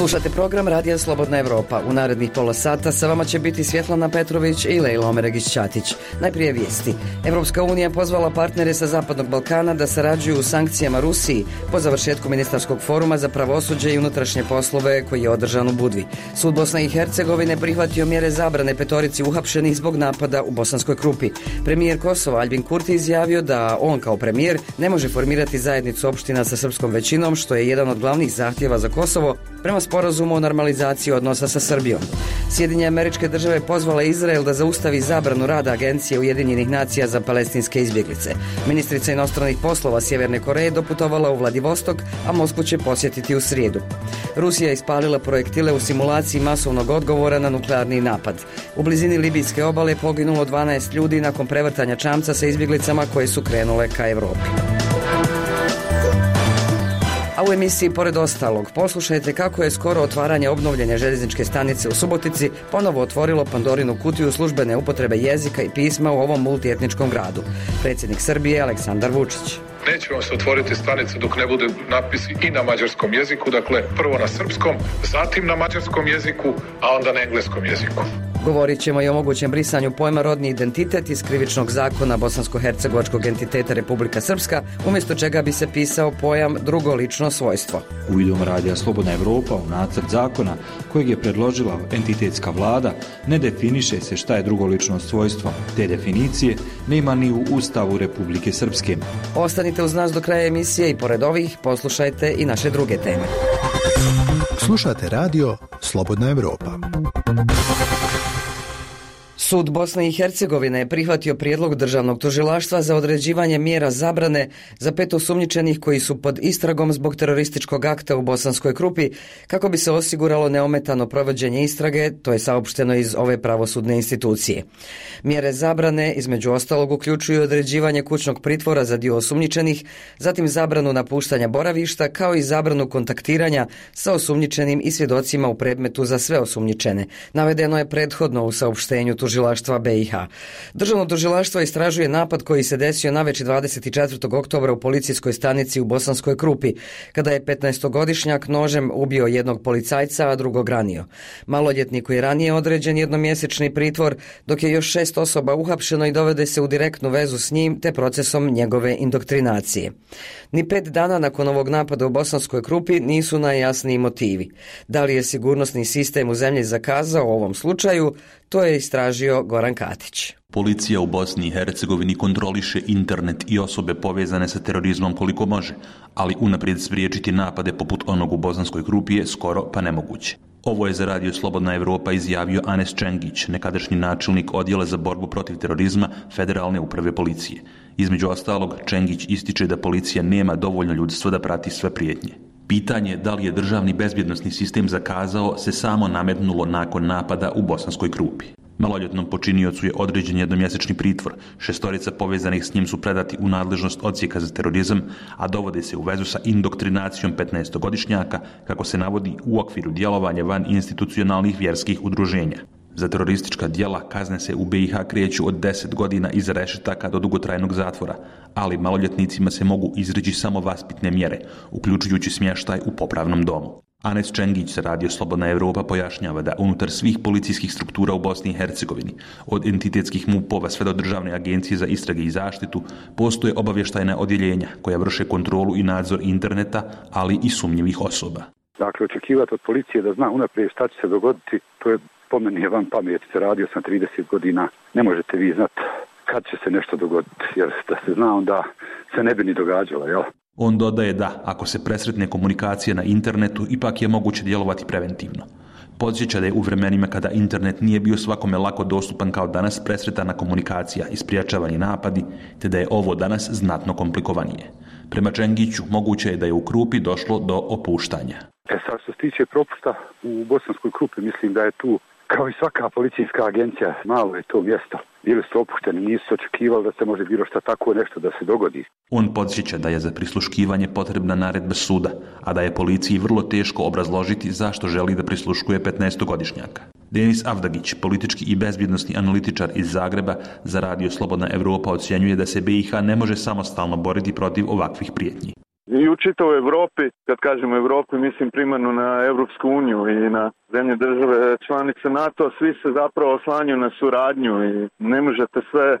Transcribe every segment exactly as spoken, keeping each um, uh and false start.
Slušate program Radija Slobodna Evropa. U narednih pola sata sa vama će biti Svjetlana Petrović i Lejla Omeregić-Ćatić. Najprije vijesti. Evropska unija pozvala partnere sa Zapadnog Balkana da sarađuju u sankcijama Rusiji po završetku ministarskog foruma za pravosuđe i unutrašnje poslove koji je održan u Budvi. Sud Bosne i Hercegovine prihvatio mjere zabrane petorici uhapšenih zbog napada u Bosanskoj Krupi. Premijer Kosova Aljbin Kurti izjavio da on kao premijer ne može formirati zajednicu opština sa srpskom većinom, što je jedan od glavnih zahtjeva za Kosovo prema sporazumu o normalizaciji odnosa sa Srbijom. Sjedinjene Američke Države pozvala Izrael da zaustavi zabranu rada Agencije Ujedinjenih nacija za palestinske izbjeglice. Ministrica inostranih poslova Sjeverne Koreje doputovala u Vladivostok, a Moskvu će posjetiti u srijedu. Rusija je ispalila projektile u simulaciji masovnog odgovora na nuklearni napad. U blizini libijske obale poginulo dvanaest ljudi nakon prevrtanja čamca sa izbjeglicama koje su krenule ka Europi. A u emisiji pored ostalog poslušajte kako je skoro otvaranje obnovljene željezničke stanice u Subotici ponovo otvorilo Pandorinu kutiju službene upotrebe jezika i pisma u ovom multietničkom gradu. Predsjednik Srbije Aleksandar Vučić. Neće vam se otvoriti stanica dok ne bude napisi i na mađarskom jeziku, dakle prvo na srpskom, zatim na mađarskom jeziku, a onda na engleskom jeziku. Govorit ćemo i o mogućem brisanju pojma rodni identitet iz krivičnog zakona bosansko-hercegovačkog entiteta Republika Srpska, umjesto čega bi se pisao pojam drugo lično svojstvo. Uvidom Radija Slobodna Evropa u nacrt zakona kojeg je predložila entitetska vlada ne definiše se šta je drugo lično svojstvo. Te definicije nema ni u Ustavu Republike Srpske. Ostanite uz nas do kraja emisije i pored ovih poslušajte i naše druge teme. Slušate Radio Slobodna Evropa. Sud Bosne i Hercegovine je prihvatio prijedlog državnog tužilaštva za određivanje mjera zabrane za pet osumnjičenih koji su pod istragom zbog terorističkog akta u Bosanskoj Krupi, kako bi se osiguralo neometano provođenje istrage, to je saopšteno iz ove pravosudne institucije. Mjere zabrane između ostalog uključuju određivanje kućnog pritvora za dio osumnjičenih, zatim zabranu napuštanja boravišta, kao i zabranu kontaktiranja sa osumnjičenim i svjedocima u predmetu za sve osumnjičene. Navedeno je prethodno u saopštenju tužilaštva B i H. Državno tužilaštvo istražuje napad koji se desio navečer dvadeset četvrtog oktobra u policijskoj stanici u Bosanskoj Krupi, kada je petnaestogodišnjak nožem ubio jednog policajca, a drugog ranio. Maloljetniku je ranije određen jednomjesečni pritvor, dok je još šest osoba uhapšeno i dovede se u direktnu vezu s njim te procesom njegove indoktrinacije. Ni pet dana nakon ovog napada u Bosanskoj Krupi nisu najjasniji motivi. Da li je sigurnosni sistem u zemlji zakazao u ovom slučaju, to je istražio Goran Katić. Policija u Bosni i Hercegovini kontroliše internet i osobe povezane sa terorizmom koliko može, ali unaprijed spriječiti napade poput onog u Bosanskoj Krupi je skoro pa nemoguće. Ovo je za Radio Slobodna Evropa izjavio Anes Čengić, nekadašnji načelnik odjela za borbu protiv terorizma Federalne uprave policije. Između ostalog, Čengić ističe da policija nema dovoljno ljudstva da prati sve prijetnje. Pitanje da li je državni bezbjednosni sistem zakazao se samo nametnulo nakon napada u Bosanskoj Krupi. Maloljetnom počiniocu je određen jednomjesečni pritvor, šestorica povezanih s njim su predati u nadležnost odsjeka za terorizam, a dovode se u vezu sa indoktrinacijom petnaestogodišnjaka, kako se navodi u okviru djelovanja van institucionalnih vjerskih udruženja. Za teroristička djela kazne se u B i H kreću od deset godina iza rešetaka do dugotrajnog zatvora, ali maloljetnicima se mogu izreći samo vaspitne mjere, uključujući smještaj u popravnom domu. Anes Čengić sa Radio Slobodna Evropa pojašnjava da unutar svih policijskih struktura u Bosni i Hercegovini, od entitetskih MUP-ova sve do Državne agencije za istrage i zaštitu, postoje obavještajna odjeljenja koja vrše kontrolu i nadzor interneta, ali i sumnjivih osoba. Dakle, očekivati od policije da zna unaprijed šta će se dogoditi, to je po meni je van pameti. Radio sam trideset godina, ne možete vi znati kad će se nešto dogoditi, jer da se zna onda se ne bi ni događalo, jel? On dodaje da, ako se presretne komunikacija na internetu, ipak je moguće djelovati preventivno. Podsjeća da je u vremenima kada internet nije bio svakome lako dostupan kao danas presretana komunikacija i spriječavani napadi, te da je ovo danas znatno komplikovanije. Prema Čengiću, moguće je da je u Krupi došlo do opuštanja. E sad, što se tiče propusta u Bosanskoj Krupi, mislim da je tu, kao i svaka policijska agencija, malo je to mjesto. Bili su opušteni, nisu očekivali da se može bilo šta tako nešto da se dogodi. On podsjeća da je za prisluškivanje potrebna naredba suda, a da je policiji vrlo teško obrazložiti zašto želi da prisluškuje petnaestogodišnjaka. Denis Avdagić, politički i bezbjednosni analitičar iz Zagreba, za Radio Slobodna Evropa ocjenjuje da se B i H ne može samostalno boriti protiv ovakvih prijetnji. i u čitavoj Evropi, kad kažemo Evropi, mislim primarno na Evropsku uniju i na zemlje države članice NATO, svi se zapravo oslanjaju na suradnju i ne možete sve e,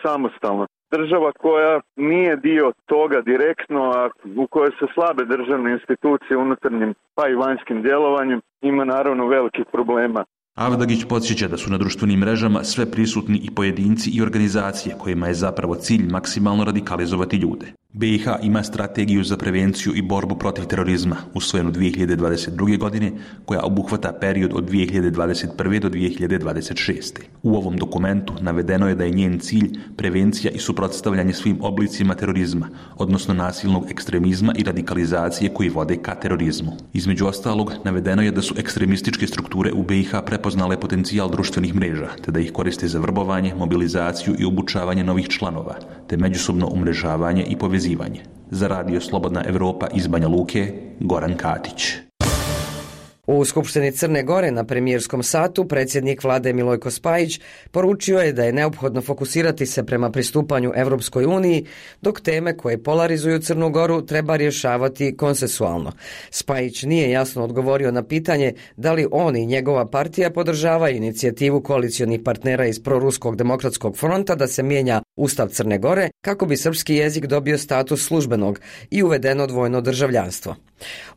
samostalno. Država koja nije dio toga direktno, a u kojoj se slabe državne institucije unutarnjim pa i vanjskim djelovanjem, ima naravno velikih problema. Avdagić podsjeća da su na društvenim mrežama sve prisutni i pojedinci i organizacije kojima je zapravo cilj maksimalno radikalizovati ljude. B i H ima strategiju za prevenciju i borbu protiv terorizma, usvojenu dvije hiljade dvadeset druge. godine, koja obuhvata period od dvije hiljade dvadeset prve. do dvije hiljade dvadeset šeste. U ovom dokumentu navedeno je da je njen cilj prevencija i suprotstavljanje svim oblicima terorizma, odnosno nasilnog ekstremizma i radikalizacije koji vode ka terorizmu. Između ostalog, navedeno je da su ekstremističke strukture u B i H prepoznale potencijal društvenih mreža, te da ih koriste za vrbovanje, mobilizaciju i obučavanje novih članova, te međusobno umrežavanje i povezivanje. Za radio Slobodna Evropa iz Banja Luke, Goran Katić. U Skupštini Crne Gore na premijerskom satu predsjednik vlade Milojko Spajić poručio je da je neophodno fokusirati se prema pristupanju Evropskoj uniji, dok teme koje polarizuju Crnu Goru treba rješavati konsensualno. Spajić nije jasno odgovorio na pitanje da li on i njegova partija podržavaju inicijativu koalicionih partnera iz Proruskog demokratskog fronta da se mijenja Ustav Crne Gore kako bi srpski jezik dobio status službenog i uvedeno dvojno državljanstvo.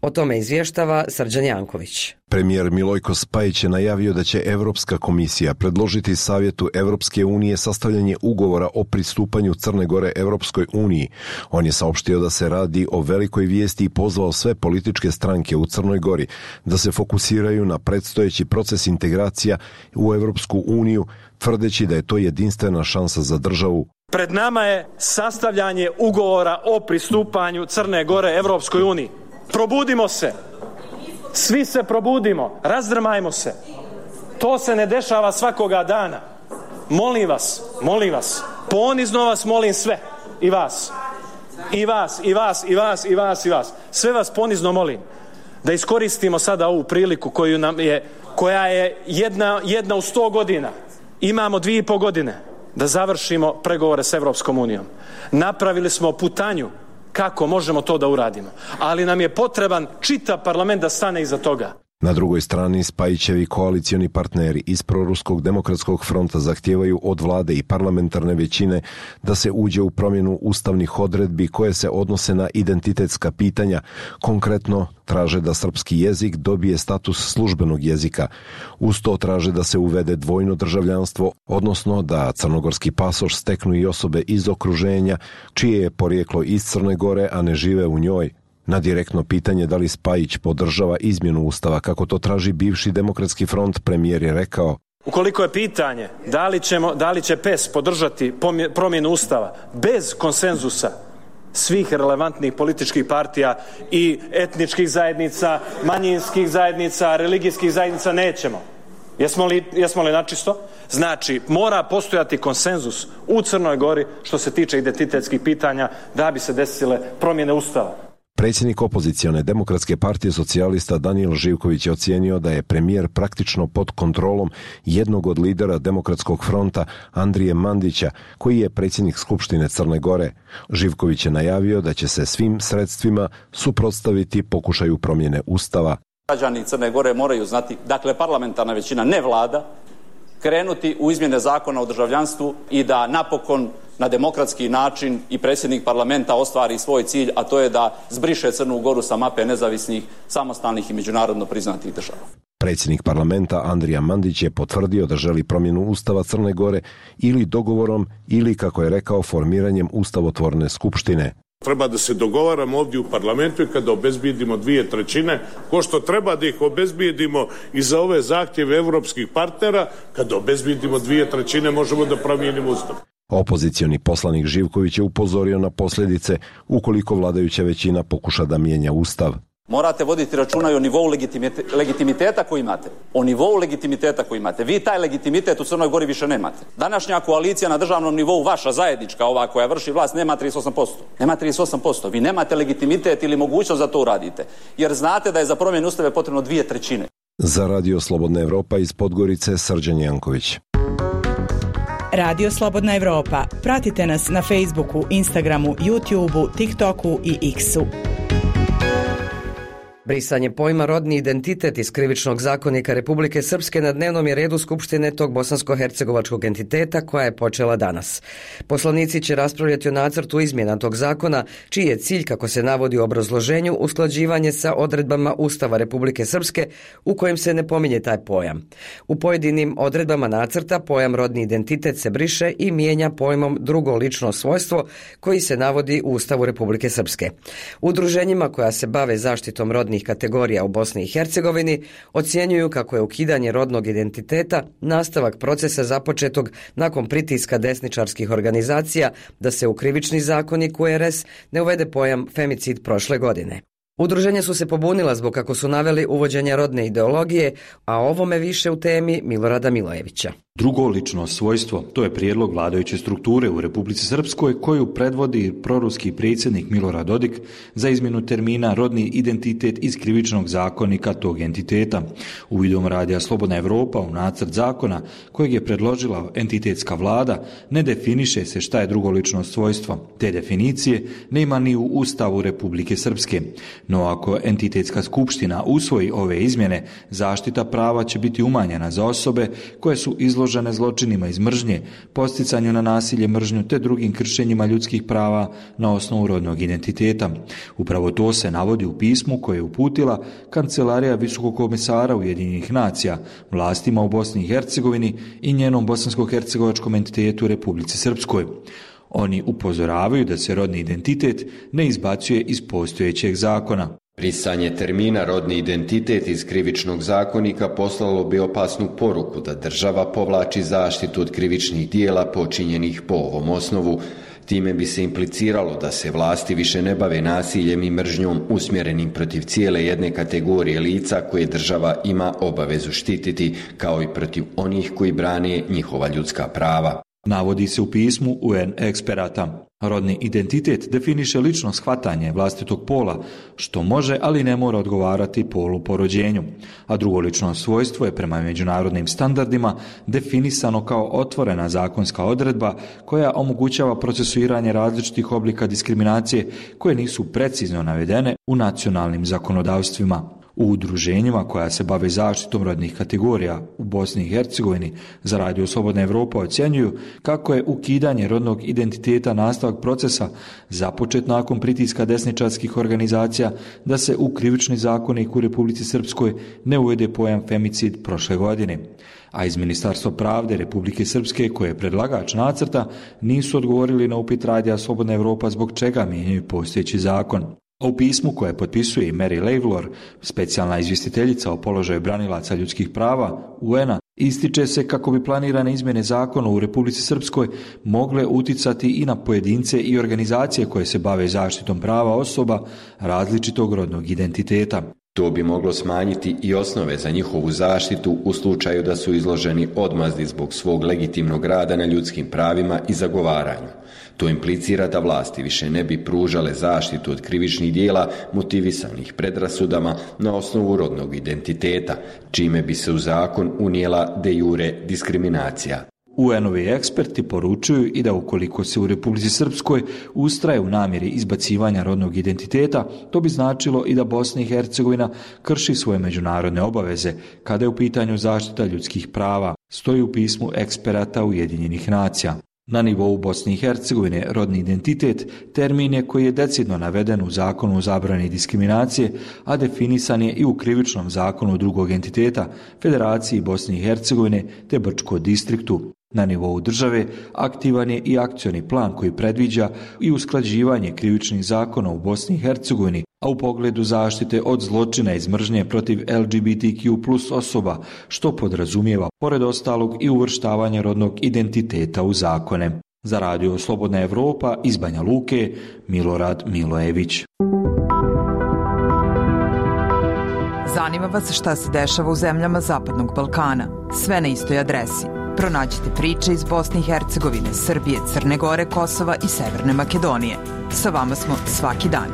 O tome izvještava Srđan Janković. Premijer Milojko Spajić je najavio da će Europska komisija predložiti Savjetu Europske unije sastavljanje ugovora o pristupanju Crne Gore Europskoj uniji. On je saopštio da se radi o velikoj vijesti i pozvao sve političke stranke u Crnoj Gori da se fokusiraju na predstojeći proces integracija u Europsku uniju, tvrdeći da je to jedinstvena šansa za državu. Pred nama je sastavljanje ugovora o pristupanju Crne Gore Europskoj uniji. Probudimo se. Svi se probudimo, razdrmajmo se. To se ne dešava svakoga dana. Molim vas, molim vas, ponizno vas molim sve, i vas, i vas, i vas, i vas, i vas, i vas. Sve vas ponizno molim da iskoristimo sada ovu priliku koju nam je, koja je jedna, jedna u sto godina. Imamo dvije i po godine da završimo pregovore s Evropskom unijom. Napravili smo putanju kako možemo to da uradimo, ali nam je potreban čitav parlament da stane iza toga. Na drugoj strani Spajićevi koalicioni partneri iz Proruskog demokratskog fronta zahtijevaju od vlade i parlamentarne većine da se uđe u promjenu ustavnih odredbi koje se odnose na identitetska pitanja. Konkretno traže da srpski jezik dobije status službenog jezika. Uz to traže da se uvede dvojno državljanstvo, odnosno da crnogorski pasoš steknu i osobe iz okruženja čije je porijeklo iz Crne Gore, a ne žive u njoj. Na direktno pitanje da li Spajić podržava izmjenu Ustava kako to traži bivši demokratski front, premijer je rekao: ukoliko je pitanje da li, ćemo, da li će P E S podržati promjenu Ustava bez konsenzusa svih relevantnih političkih partija i etničkih zajednica, manjinskih zajednica, religijskih zajednica, nećemo. Jesmo li, jesmo li načisto? Znači, mora postojati konsenzus u Crnoj Gori što se tiče identitetskih pitanja da bi se desile promjene Ustava. Predsjednik opozicione Demokratske partije socijalista Danijel Živković je ocijenio da je premijer praktično pod kontrolom jednog od lidera Demokratskog fronta, Andrije Mandića, koji je predsjednik Skupštine Crne Gore. Živković je najavio da će se svim sredstvima suprotstaviti pokušaju promjene Ustava. Građani Crne Gore moraju znati, dakle parlamentarna većina, ne vlada, krenuti u izmjene zakona o državljanstvu i da napokon na demokratski način i predsjednik parlamenta ostvari svoj cilj, a to je da zbriše Crnu Goru sa mape nezavisnih, samostalnih i međunarodno priznatih država. Predsjednik parlamenta Andrija Mandić je potvrdio da želi promjenu Ustava Crne Gore ili dogovorom ili, kako je rekao, formiranjem ustavotvorne skupštine. Treba da se dogovaramo ovdje u parlamentu i kada obezbijedimo dvije trećine, ko što treba da ih obezbijedimo i za ove zahtjeve evropskih partnera, kada obezbijedimo dvije trećine možemo da promijenimo Ustav. Opozicioni poslanik Živković je upozorio na posljedice ukoliko vladajuća većina pokuša da mijenja Ustav. Morate voditi računa i o nivou legitimiteta koji imate. O nivou legitimiteta koji imate. Vi taj legitimitet u Crnoj Gori više nemate. Današnja koalicija na državnom nivou, vaša zajednička, ova koja vrši vlast, nema trideset osam posto. Nema trideset osam posto. Vi nemate legitimitet ili mogućnost da to uradite. Jer znate da je za promjenu Ustava potrebno dvije trećine. Za radio Slobodna Evropa iz Podgorice, Srđan Janković. Radio Slobodna Evropa. Pratite nas na Facebooku, Instagramu, YouTubeu, TikToku i X-u. Brisanje pojma rodni identitet iz Krivičnog zakonika Republike Srpske na dnevnom je redu Skupštine tog bosansko-hercegovačkog entiteta koja je počela danas. Poslanici će raspravljati o nacrtu izmjena tog zakona, čiji je cilj, kako se navodi u obrazloženju, usklađivanje sa odredbama Ustava Republike Srpske u kojem se ne pominje taj pojam. U pojedinim odredbama nacrta pojam rodni identitet se briše i mijenja pojmom drugo lično svojstvo koji se navodi u Ustavu Republike Srpske. Udruženjima koja se bave zaštitom rodnih kategorija u Bosni i Hercegovini ocjenjuju kako je ukidanje rodnog identiteta nastavak procesa započetog nakon pritiska desničarskih organizacija da se u Krivični zakonik U R S ne uvede pojam femicid prošle godine. Udruženja su se pobunila zbog, kako su naveli, uvođenja rodne ideologije, a ovome više u temi Milorada Milojevića. Drugo lično svojstvo, to je prijedlog vladajuće strukture u Republici Srpskoj koju predvodi proruski predsjednik Milorad Dodik za izmjenu termina rodni identitet iz Krivičnog zakonika tog entiteta. Uvidom Radija Slobodna Evropa u nacrt zakona kojeg je predložila entitetska vlada ne definiše se šta je drugo lično svojstvo. Te definicije nema ni u Ustavu Republike Srpske. No ako entitetska skupština usvoji ove izmjene, zaštita prava će biti umanjena za osobe koje su izložene zločinima iz mržnje, posticanju na nasilje, mržnju te drugim kršenjima ljudskih prava na osnovu rodnog identiteta. Upravo to se navodi u pismu koje je uputila Kancelarija Visokog komesara Ujedinjenih nacija vlastima u Bosni i Hercegovini i njenom bosansko-hercegovačkom entitetu u Republici Srpskoj. Oni upozoravaju da se rodni identitet ne izbacuje iz postojećeg zakona. Brisanje termina rodni identitet iz Krivičnog zakonika poslalo bi opasnu poruku da država povlači zaštitu od krivičnih dijela počinjenih po ovom osnovu. Time bi se impliciralo da se vlasti više ne bave nasiljem i mržnjom usmjerenim protiv cijele jedne kategorije lica koje država ima obavezu štititi, kao i protiv onih koji brane njihova ljudska prava. Navodi se u pismu U N eksperata. Rodni identitet definiše lično shvatanje vlastitog pola, što može, ali ne mora odgovarati polu po rođenju. A drugo lično svojstvo je prema međunarodnim standardima definisano kao otvorena zakonska odredba koja omogućava procesuiranje različitih oblika diskriminacije koje nisu precizno navedene u nacionalnim zakonodavstvima. U udruženjima koja se bave zaštitom rodnih kategorija u Bosni i Hercegovini za Radio Slobodna Evropa ocjenjuju kako je ukidanje rodnog identiteta nastavak procesa započet nakon pritiska desničarskih organizacija da se u Krivični zakonik u Republici Srpskoj ne uvede pojam femicid prošle godine. A iz Ministarstva pravde Republike Srpske, koje je predlagač nacrta, nisu odgovorili na upit Radija Slobodna Evropa zbog čega mijenjaju postojeći zakon. A u pismu koje potpisuje i Mary Lavalor, specijalna izvjestiteljica o položaju branilaca ljudskih prava U N-a, ističe se kako bi planirane izmjene zakona u Republici Srpskoj mogle uticati i na pojedince i organizacije koje se bave zaštitom prava osoba različitog rodnog identiteta. To bi moglo smanjiti i osnove za njihovu zaštitu u slučaju da su izloženi odmazdi zbog svog legitimnog rada na ljudskim pravima i zagovaranju. To implicira da vlasti više ne bi pružale zaštitu od krivičnih dijela motivisanih predrasudama na osnovu rodnog identiteta, čime bi se u zakon unijela de jure diskriminacija. U N-ovi eksperti poručuju i da ukoliko se u Republici Srpskoj ustraje u namjeri izbacivanja rodnog identiteta, to bi značilo i da Bosna i Hercegovina krši svoje međunarodne obaveze kada je u pitanju zaštita ljudskih prava, stoji u pismu eksperata Ujedinjenih nacija. Na nivou Bosne i Hercegovine rodni identitet termin je koji je decidno naveden u zakonu o zabrani diskriminacije, a definisan je i u Krivičnom zakonu drugog entiteta, Federaciji Bosne i Hercegovine te Brčko distriktu. Na nivou države aktivan je i akcioni plan koji predviđa i usklađivanje krivičnih zakona u Bosni i Hercegovini, a u pogledu zaštite od zločina iz mržnje protiv L G B T Q plus osoba, što podrazumijeva, pored ostalog, i uvrštavanje rodnog identiteta u zakone. Za Radio Slobodna Evropa iz Banja Luke, Milorad Milojević. Zanima vas šta se dešava u zemljama Zapadnog Balkana? Sve na istoj adresi. Pronađite priče iz Bosne i Hercegovine, Srbije, Crne Gore, Kosova i Severne Makedonije. Sa vama smo svaki dan.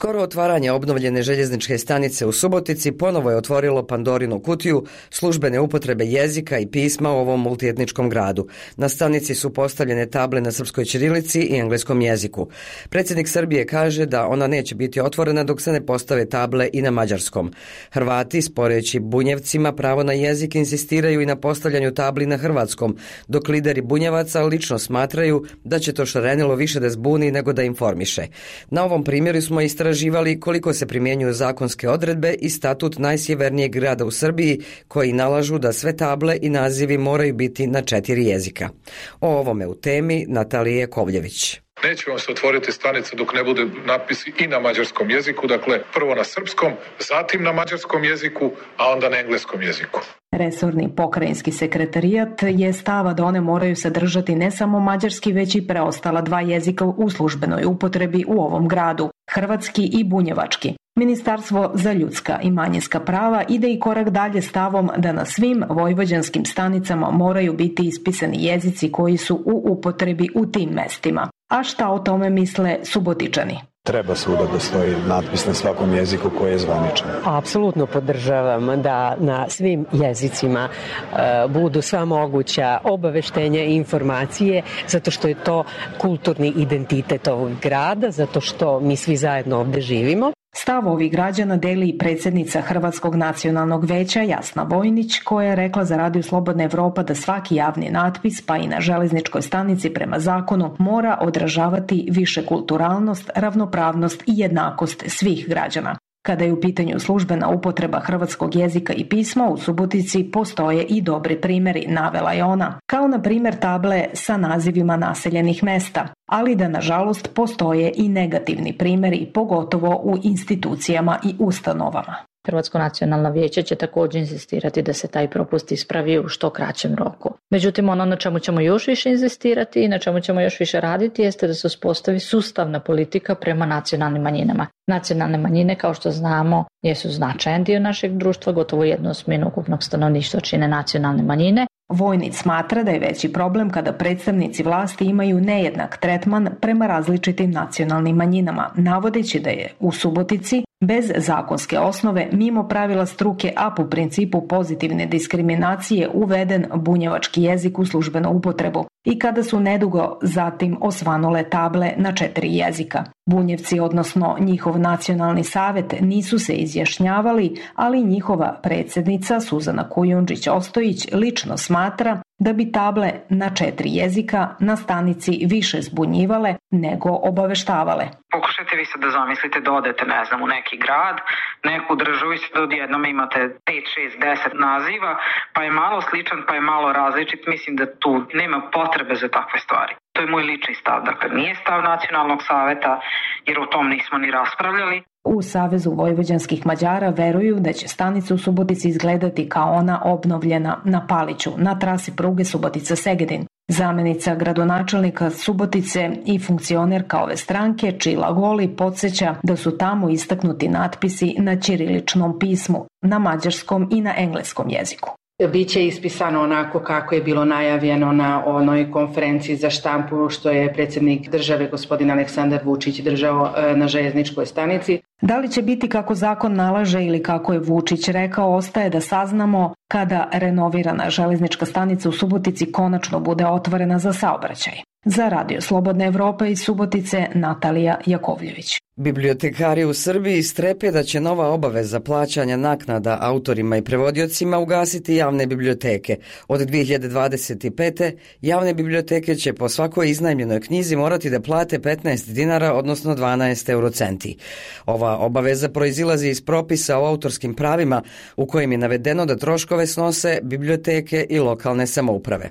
Skoro otvaranje obnovljene željezničke stanice u Subotici ponovo je otvorilo Pandorinu kutiju službene upotrebe jezika i pisma u ovom multietničkom gradu. Na stanici su postavljene table na srpskoj ćirilici i engleskom jeziku. Predsjednik Srbije kaže da ona neće biti otvorena dok se ne postave table i na mađarskom. Hrvati, sporeći Bunjevcima pravo na jezik, insistiraju i na postavljanju tabli na hrvatskom, dok lideri Bunjevaca lično smatraju da će to šarenilo više da zbuni nego da informiše. Na ovom primjeru smo istraživali koliko se primjenjuju zakonske odredbe i statut najsjevernijeg grada u Srbiji koji nalažu da sve table i nazivi moraju biti na četiri jezika. O ovome u temi Natalija Jakovljević. Neće vam se otvoriti stanica dok ne bude napisi i na mađarskom jeziku, dakle prvo na srpskom, zatim na mađarskom jeziku, a onda na engleskom jeziku. Resorni pokrajinski sekretarijat je stava da one moraju sadržati ne samo mađarski, već i preostala dva jezika u službenoj upotrebi u ovom gradu, hrvatski i bunjevački. Ministarstvo za ljudska i manjinska prava ide i korak dalje stavom da na svim vojvođanskim stanicama moraju biti ispisani jezici koji su u upotrebi u tim mestima. A šta o tome misle Subotičani? Treba svuda da stoji natpis na svakom jeziku koji je zvaničan. Apsolutno podržavam da na svim jezicima uh, budu sva moguća obaveštenja i informacije, zato što je to kulturni identitet ovog grada, zato što mi svi zajedno ovde živimo. Stav ovih građana deli i predsjednica Hrvatskog nacionalnog veća Jasna Vojnić, koja je rekla za Radio Slobodna Evropa da svaki javni natpis, pa i na železničkoj stanici prema zakonu, mora odražavati višekulturalnost, ravnopravnost i jednakost svih građana. Kada je u pitanju službena upotreba hrvatskog jezika i pisma, u Subotici postoje i dobri primjeri, navela je ona, kao na primjer table sa nazivima naseljenih mesta, ali da nažalost postoje i negativni primjeri, pogotovo u institucijama i ustanovama. Hrvatsko nacionalno vijeće će također insistirati da se taj propust ispravi u što kraćem roku. Međutim, ono na čemu ćemo još više insistirati i na čemu ćemo još više raditi jeste da se uspostavi sustavna politika prema nacionalnim manjinama. Nacionalne manjine, kao što znamo, jesu značajan dio našeg društva, gotovo jednu osminu ukupnog stanovništva čine nacionalne manjine. Vojnić smatra da je veći problem kada predstavnici vlasti imaju nejednak tretman prema različitim nacionalnim manjinama, navodeći da je u Subotici bez zakonske osnove, mimo pravila struke, a po principu pozitivne diskriminacije uveden bunjevački jezik u službenu upotrebu i kada su nedugo zatim osvanule table na četiri jezika. Bunjevci, odnosno njihov nacionalni savjet, nisu se izjašnjavali, ali njihova predsjednica Suzana Kujundžić-Ostojić lično smatra da bi table na četiri jezika na stanici više zbunjivale nego obaveštavale. Pokušajte vi sad da zamislite da odete, ne znam, u neki grad, neku državu i sad odjednom imate pet, šest, deset naziva, pa je malo sličan, pa je malo različit. Mislim da tu nema potrebe za takve stvari. To je moj lični stav. Dakle, nije stav Nacionalnog saveta, jer o tom nismo ni raspravljali. U Savezu vojvođanskih Mađara veruju da će stanica u Subotici izgledati kao ona obnovljena na Paliću, na trasi pruge Subotica-Segedin. Zamenica gradonačelnika Subotice i funkcionerka ove stranke, Čila Goli, podsjeća da su tamo istaknuti natpisi na ćiriličnom pismu, na mađarskom i na engleskom jeziku. Biće ispisano onako kako je bilo najavljeno na onoj konferenciji za štampu što je predsjednik države gospodin Aleksandar Vučić držao na željezničkoj stanici. Da li će biti kako zakon nalaže ili kako je Vučić rekao, ostaje da saznamo kada renovirana železnička stanica u Subotici konačno bude otvorena za saobraćaj. Za Radio Slobodna Evropa iz Subotice, Natalija Jakovljević. Bibliotekari u Srbiji strepe da će nova obaveza plaćanja naknada autorima i prevodiocima ugasiti javne biblioteke. Od dvije hiljade dvadeset pete. javne biblioteke će po svakoj iznajmljenoj knjizi morati da plate petnaest dinara, odnosno dvanaest eurocenti. Ova obaveza proizilazi iz propisa o autorskim pravima u kojem je navedeno da troškove snose biblioteke i lokalne samouprave.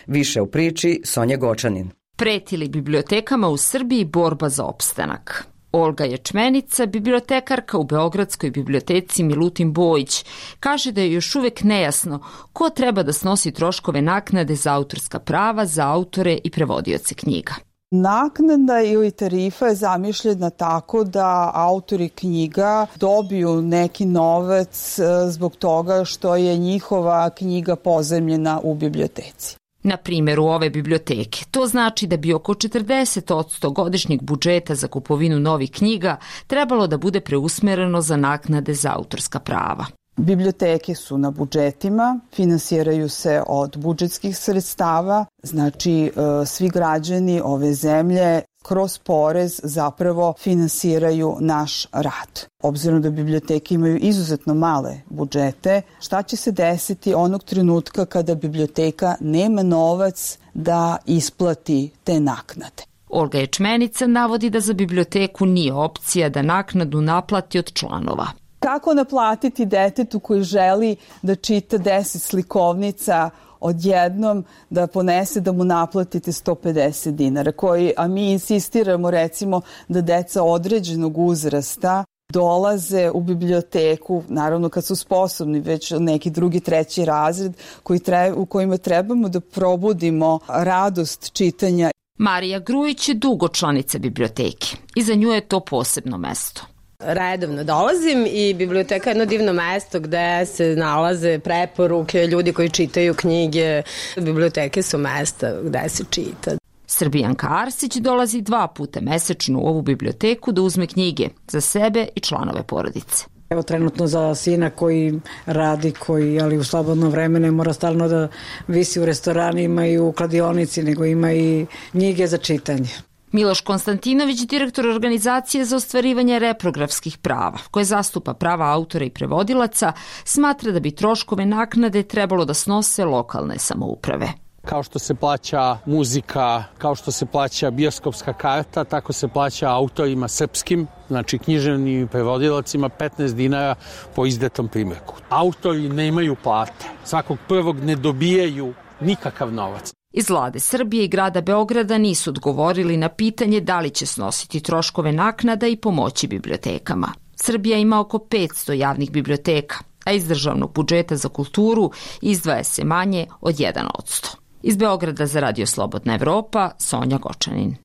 Više u priči Sonja Gočanin. Preti li bibliotekama u Srbiji borba za opstanak? Olga Ječmenica, bibliotekarka u Beogradskoj biblioteci Milutin Bojić, kaže da je još uvijek nejasno ko treba da snosi troškove naknade za autorska prava za autore i prevodioce knjiga. Naknada ili tarifa je zamišljena tako da autori knjiga dobiju neki novac zbog toga što je njihova knjiga pozajmljena u biblioteci. Na primjeru ove biblioteke, to znači da bi oko četrdeset posto godišnjeg budžeta za kupovinu novih knjiga trebalo da bude preusmereno za naknade za autorska prava. Biblioteke su na budžetima, finansiraju se od budžetskih sredstava, znači svi građani ove zemlje kroz porez zapravo finansiraju naš rad. Obzirom da biblioteke imaju izuzetno male budžete, šta će se desiti onog trenutka kada biblioteka nema novac da isplati te naknade? Olga Ječmenica navodi da za biblioteku nije opcija da naknadu naplati od članova. Kako naplatiti detetu koji želi da čita deset slikovnica odjednom da ponese da mu naplatite sto pedeset dinara, koji, a mi insistiramo recimo da deca određenog uzrasta dolaze u biblioteku, naravno kad su sposobni, već neki drugi, treći razred koji treba, u kojima trebamo da probudimo radost čitanja. Marija Grujić je dugo članica biblioteke i za nju je to posebno mesto. Redovno dolazim i biblioteka je jedno divno mesto gde se nalaze preporuke, ljudi koji čitaju knjige. Biblioteke su mesta gde se čita. Srbijanka Arsić dolazi dva puta mesečno u ovu biblioteku da uzme knjige za sebe i članove porodice. Evo trenutno za sina koji radi, koji ali u slobodno vreme ne mora stalno da visi u restoranima i u kladionici, nego ima i knjige za čitanje. Miloš Konstantinović, direktor organizacije za ostvarivanje reprografskih prava, koje zastupa prava autora i prevodilaca, smatra da bi troškove naknade trebalo da snose lokalne samouprave. Kao što se plaća muzika, kao što se plaća bioskopska karta, tako se plaća autorima srpskim, znači književnim prevodilacima petnaest dinara po izdatom primjerku. Autori nemaju plate, svakog prvog ne dobijaju nikakav novac. Iz vlade Srbije i grada Beograda nisu odgovorili na pitanje da li će snositi troškove naknada i pomoći bibliotekama. Srbija ima oko petsto javnih biblioteka, a iz državnog budžeta za kulturu izdvaja se manje od jedan posto. Iz Beograda za Radio Slobodna Evropa, Sonja Gočanin.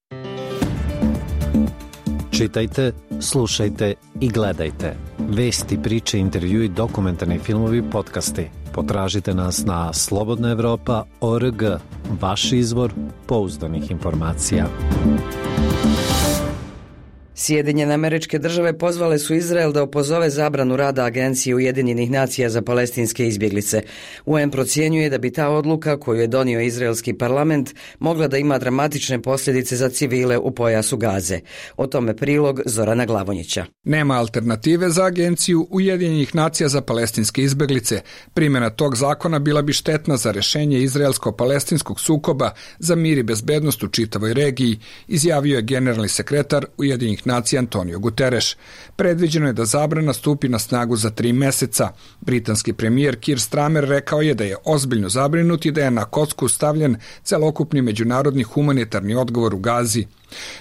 Čitajte, slušajte i gledajte. Vesti, priče, intervjui, dokumentarni filmovi, podcasti. Potražite nas na slobodna evropa tačka org, vaš izvor pouzdanih informacija. Sjedinjene Američke Države pozvale su Izrael da opozove zabranu rada Agencije Ujedinjenih nacija za palestinske izbjeglice. U en procjenjuje da bi ta odluka koju je donio izraelski parlament mogla da ima dramatične posljedice za civile u pojasu Gaze. O tome prilog Zorana Glavonjića. Nema alternative za Agenciju Ujedinjenih nacija za palestinske izbjeglice. Primjena tog zakona bila bi štetna za rešenje izraelsko-palestinskog sukoba za mir i bezbednost u čitavoj regiji, izjavio je generalni sekretar Ujedinjenih nacija Antonio Guterres. Predviđeno je da zabrana stupi na snagu za tri meseca. Britanski premijer Keir Starmer rekao je da je ozbiljno zabrinut i da je na kocku stavljen celokupni međunarodni humanitarni odgovor u Gazi.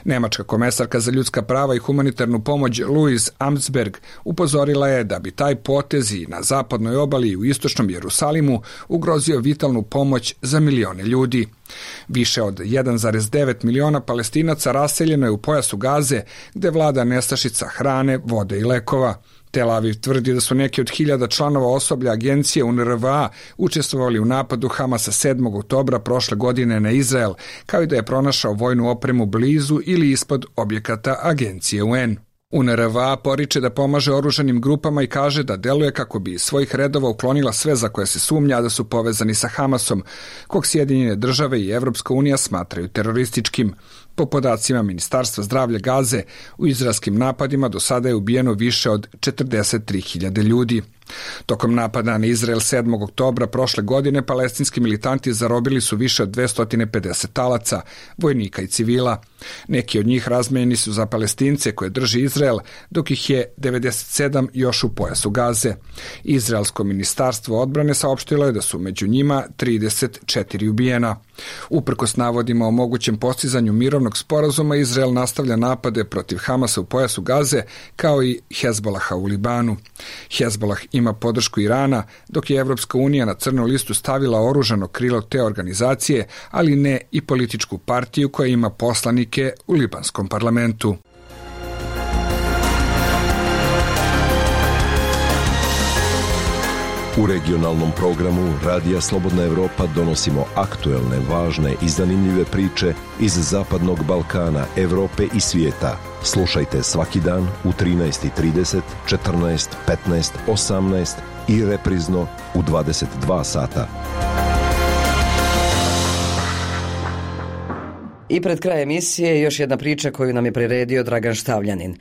Nemačka komesarka za ljudska prava i humanitarnu pomoć Louise Amtsberg upozorila je da bi taj potez i na zapadnoj obali i u istočnom Jerusalimu ugrozio vitalnu pomoć za milione ljudi. Više od jedan zarez devet miliona Palestinaca raseljeno je u pojasu Gaze, gde vlada nestašica hrane, vode i lekova. Tel Aviv tvrdi da su neki od hiljada članova osoblja agencije U N R W A učestvovali u napadu Hamasa sedmog oktobra prošle godine na Izrael, kao i da je pronašao vojnu opremu blizu ili ispod objekata agencije U N. U N R W A poriče da pomaže oružanim grupama i kaže da deluje kako bi iz svojih redova uklonila sve za koje se sumnja da su povezani sa Hamasom, kog Sjedinjene države i Evropska unija smatraju terorističkim. Po podacima Ministarstva zdravlja Gaze, u izraelskim napadima do sada je ubijeno više od četrdeset tri hiljade ljudi. Tokom napada na Izrael sedmog oktobra prošle godine palestinski militanti zarobili su više od dvesta pedeset talaca, vojnika i civila. Neki od njih razmenjeni su za Palestince koje drži Izrael, dok ih je devedeset sedam još u pojasu Gaze. Izraelsko ministarstvo odbrane saopštilo je da su među njima trideset četiri ubijena. Uprkos navodima o mogućem postizanju mirovnog sporazuma, Izrael nastavlja napade protiv Hamasa u pojasu Gaze, kao i Hezbolaha u Libanu. Hezbolah ima podršku Irana, dok je Evropska unija na crnu listu stavila oružano krilo te organizacije, ali ne i političku partiju koja ima poslanike u libanskom parlamentu. U regionalnom programu Radija Slobodna Evropa donosimo aktuelne, važne i zanimljive priče iz Zapadnog Balkana, Evrope i svijeta. Slušajte svaki dan u trinaest i trideset, četrnaest, petnaest, osamnaest i reprizno u dvadeset dva sata. I pred kraj emisije još jedna priča koju nam je priredio Dragan Štavljanin.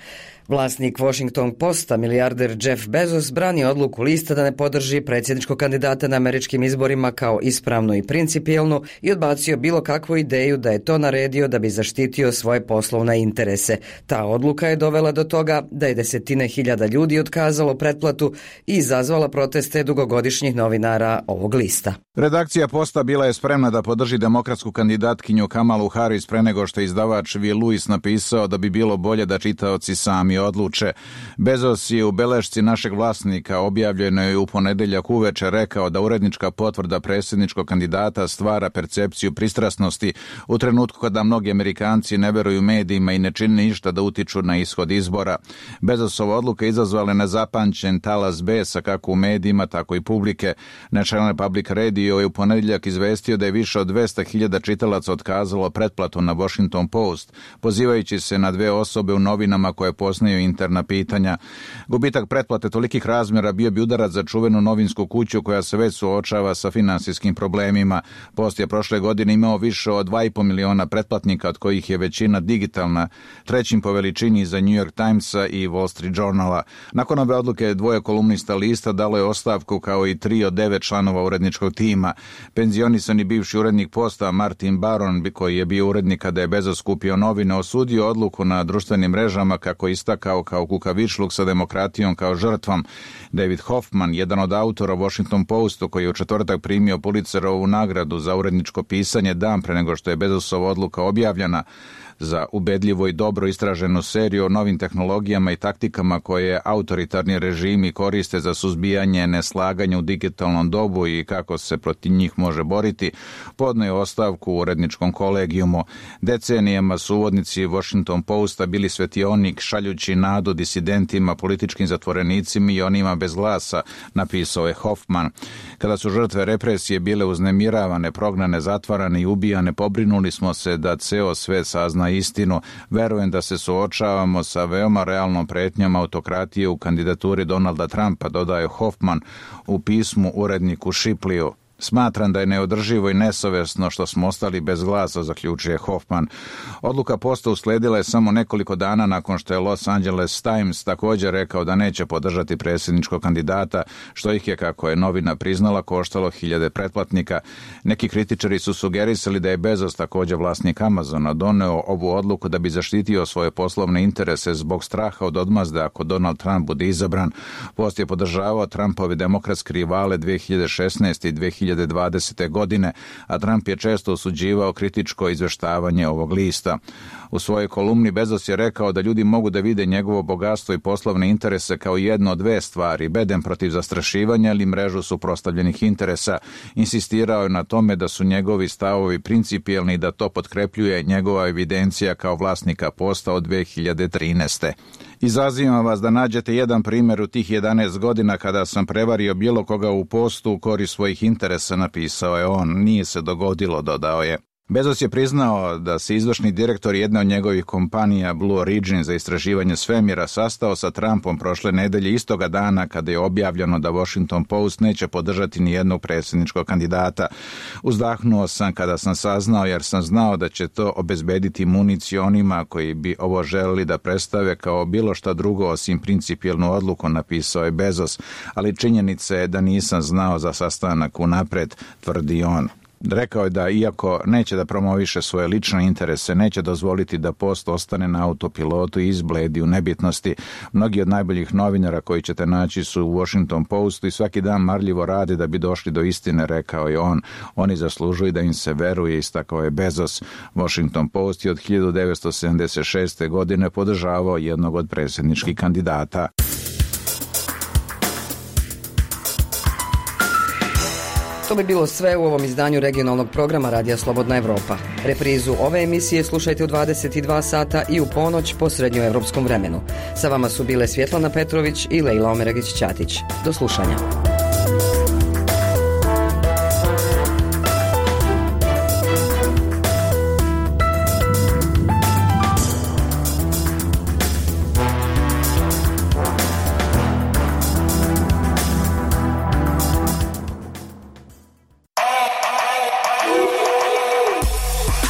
Vlasnik Washington Posta, milijarder Jeff Bezos, brani odluku lista da ne podrži predsjedničkog kandidata na američkim izborima kao ispravnu i principijelnu i odbacio bilo kakvu ideju da je to naredio da bi zaštitio svoje poslovne interese. Ta odluka je dovela do toga da je desetine hiljada ljudi otkazalo pretplatu i izazvala proteste dugogodišnjih novinara ovog lista. Redakcija Posta bila je spremna da podrži demokratsku kandidatkinju Kamalu Harris pre nego što je izdavač Will Lewis napisao da bi bilo bolje da čitaoci sami odluče. Bezos je u belešci našeg vlasnika objavljenoj u ponedeljak uveče rekao da urednička potvrda predsjedničkog kandidata stvara percepciju pristrasnosti u trenutku kada mnogi Amerikanci ne veruju medijima i ne čine ništa da utiču na ishod izbora. Bezosova odluka izazvala nezapamćen talas besa kako u medijima, tako i publike. National Public Radio je u ponedeljak izvestio da je više od dvesta hiljada čitalaca otkazalo pretplatu na Washington Post, pozivajući se na dve osobe u novinama koje poznaju interna pitanja. Gubitak pretplate tolikih razmjera bio bi udarac za čuvenu novinsku kuću koja se već suočava sa finansijskim problemima. Post je prošle godine imao više od dva i po miliona pretplatnika, od kojih je većina digitalna, trećim po veličini za New York Timesa i Wall Street Journala. Nakon ove odluke dvoje kolumnista lista dalo je ostavku kao i tri od devet članova uredničkog tima. Penzionisani bivši urednik Posta Martin Baron, koji je bio urednik kada je Bezos kupio novine, osudio odluku na društvenim mrežama kako istakao kao kukavičluk sa demokratijom kao žrtvom. David Hoffman, jedan od autora Washington Postu, koji je u četvrtak primio Pulitzerovu nagradu za uredničko pisanje dan pre nego što je Bezosova odluka objavljena, za ubedljivo i dobro istraženu seriju o novim tehnologijama i taktikama koje autoritarni režimi koriste za suzbijanje neslaganja u digitalnom dobu i kako se protiv njih može boriti, podneo ostavku u uredničkom kolegijumu. Decenijama su uvodnici Washington Posta bili svetionik šaljući nadu disidentima, političkim zatvorenicima i onima bez glasa, napisao je Hoffman. Kada su žrtve represije bile uznemiravane, prognane, zatvarane i ubijane, pobrinuli smo se da ceo svet sazna istinu. Verujem da se suočavamo sa veoma realnom pretnjom autokratije u kandidaturi Donalda Trumpa, dodaje Hoffman u pismu uredniku Shipliju. Smatram da je neodrživo i nesavesno što smo ostali bez glasa, zaključuje Hoffman. Odluka Posta usledila je samo nekoliko dana nakon što je Los Angeles Times također rekao da neće podržati predsjedničkog kandidata, što ih je, kako je novina priznala, koštalo hiljade pretplatnika. Neki kritičari su sugerisali da je Bezos, također vlasnik Amazona, doneo ovu odluku da bi zaštitio svoje poslovne interese zbog straha od odmazde ako Donald Trump bude izabran. Post je podržavao Trumpove demokratske rivale dve hiljade šesnaeste i dve hiljade dvadesete godine, a Trump je često osuđivao kritičko izveštavanje ovog lista. U svojoj kolumni Bezos je rekao da ljudi mogu da vide njegovo bogatstvo i poslovne interese kao jedno od dve stvari, bedem protiv zastrašivanja ili mrežu suprotstavljenih interesa. Insistirao je na tome da su njegovi stavovi principijelni i da to potkrepljuje njegova evidencija kao vlasnika Posta od dve hiljade trinaeste. Izazivam vas da nađete jedan primjer u tih jedanaest godina kada sam prevario bilo koga u Postu u korist svojih interesa, napisao je on. Nije se dogodilo, dodao je. Bezos je priznao da se izvršni direktor jedne od njegovih kompanija Blue Origin za istraživanje svemira sastao sa Trumpom prošle nedelje istoga dana kada je objavljeno da Washington Post neće podržati ni jednog predsjedničkog kandidata. Uzdahnuo sam kada sam saznao, jer sam znao da će to obezbediti municiju onima koji bi ovo želeli da predstave kao bilo šta drugo osim principijelnu odluku, napisao je Bezos, ali činjenica je da nisam znao za sastanak unapred, tvrdi on. Rekao je da iako neće da promoviše svoje lične interese, neće dozvoliti da Post ostane na autopilotu i izbledi u nebitnosti. Mnogi od najboljih novinara koji ćete naći su u Washington Postu i svaki dan marljivo rade da bi došli do istine, rekao je on. Oni zaslužuju da im se veruje, istakao je Bezos. Washington Post je od hiljadu devetsto sedamdeset šeste. godine podržavao jednog od predsjedničkih kandidata. To bi bilo sve u ovom izdanju regionalnog programa Radija Slobodna Evropa. Reprizu ove emisije slušajte u dvadeset dva sata i u ponoć po srednjoevropskom vremenu. Sa vama su bile Svjetlana Petrović i Lejla Omeragić-Ćatić. Do slušanja.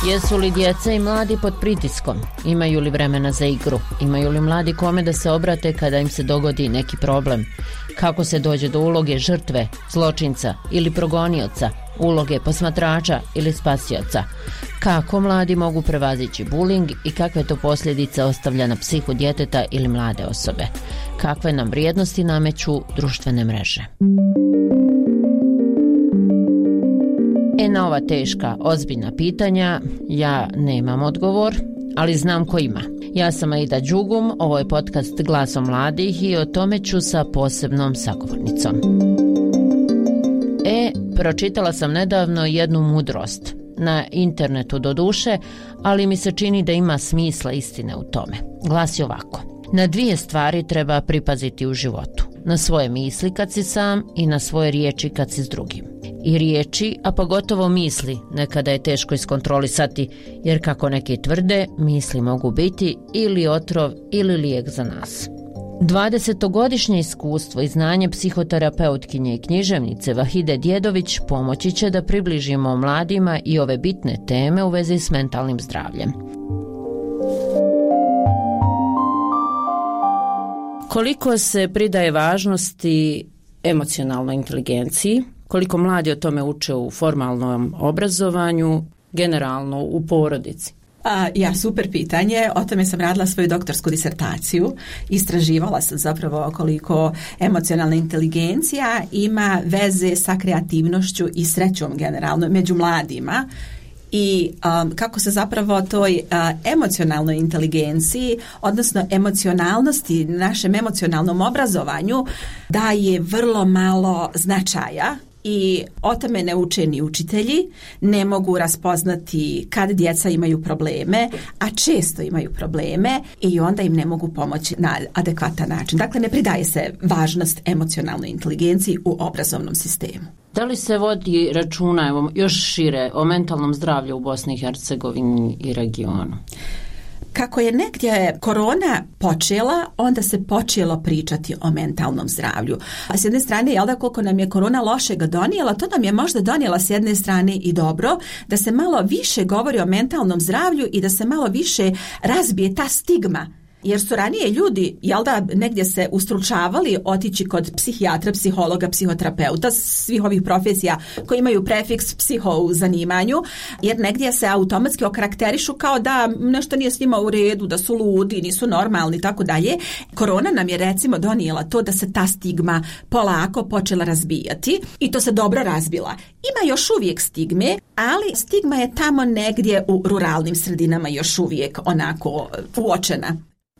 Jesu li djeca i mladi pod pritiskom? Imaju li vremena za igru? Imaju li mladi kome da se obrate kada im se dogodi neki problem? Kako se dođe do uloge žrtve, zločinca ili progonioca, uloge posmatrača ili spasioca? Kako mladi mogu prevazići buling i kakve to posljedice ostavlja na psihu djeteta ili mlade osobe? Kakve nam vrijednosti nameću društvene mreže? E na ova teška, ozbiljna pitanja ja nemam odgovor, ali znam ko ima. Ja sam Aida Đugum, ovo je podcast Glasom mladih i o tome ću sa posebnom sagovornicom. E, pročitala sam nedavno jednu mudrost, na internetu do duše, ali mi se čini da ima smisla istine u tome. Glasi ovako: na dvije stvari treba pripaziti u životu. Na svoje misli kad si sam i na svoje riječi kad si s drugim. I riječi, a pogotovo misli, nekada je teško iskontrolisati, jer kako neki tvrde, misli mogu biti ili otrov ili lijek za nas. dvadesetogodišnje iskustvo i znanje psihoterapeutkinje i književnice Vahide Djedović pomoći će da približimo mladima i ove bitne teme u vezi s mentalnim zdravljem. Koliko se pridaje važnosti emocionalnoj inteligenciji, koliko mladi o tome uče u formalnom obrazovanju, generalno u porodici? A, ja, super pitanje. O tome sam radila svoju doktorsku disertaciju. Istraživala sam zapravo koliko emocionalna inteligencija ima veze sa kreativnošću i srećom generalno među mladima. I um, kako se zapravo toj uh, emocionalnoj inteligenciji, odnosno emocionalnosti, našem emocionalnom obrazovanju daje vrlo malo značaja. I o tome ne uče ni učitelji, ne mogu raspoznati kad djeca imaju probleme, a često imaju probleme i onda im ne mogu pomoći na adekvatan način. Dakle, ne pridaje se važnost emocionalnoj inteligenciji u obrazovnom sistemu. Da li se vodi računa, evo, još šire, o mentalnom zdravlju u Bosni i Hercegovini i regionu? Kako je negdje korona počela, onda se počelo pričati o mentalnom zdravlju. A s jedne strane, jel da, koliko nam je korona lošega donijela, to nam je možda donijela s jedne strane i dobro, da se malo više govori o mentalnom zdravlju i da se malo više razbije ta stigma. Jer su ranije ljudi, jel da, negdje se ustručavali otići kod psihijatra, psihologa, psihoterapeuta, svih ovih profesija koji imaju prefiks psiho u zanimanju, jer negdje se automatski okarakterišu kao da nešto nije s njima u redu, da su ludi, nisu normalni i tako dalje. Korona nam je recimo donijela to da se ta stigma polako počela razbijati i to se dobro razbila. Ima još uvijek stigme, ali stigma je tamo negdje u ruralnim sredinama još uvijek onako uočena.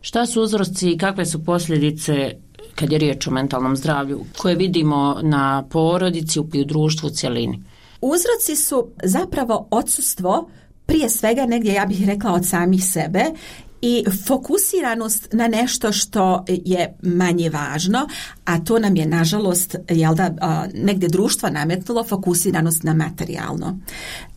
Šta su uzroci i kakve su posljedice kad je riječ o mentalnom zdravlju koje vidimo na porodici i u društvu u cjelini? Uzroci su zapravo odsustvo, prije svega negdje, ja bih rekla, od samih sebe i fokusiranost na nešto što je manje važno, a to nam je nažalost, jel da, negdje društvo nametnulo fokusiranost na materijalno.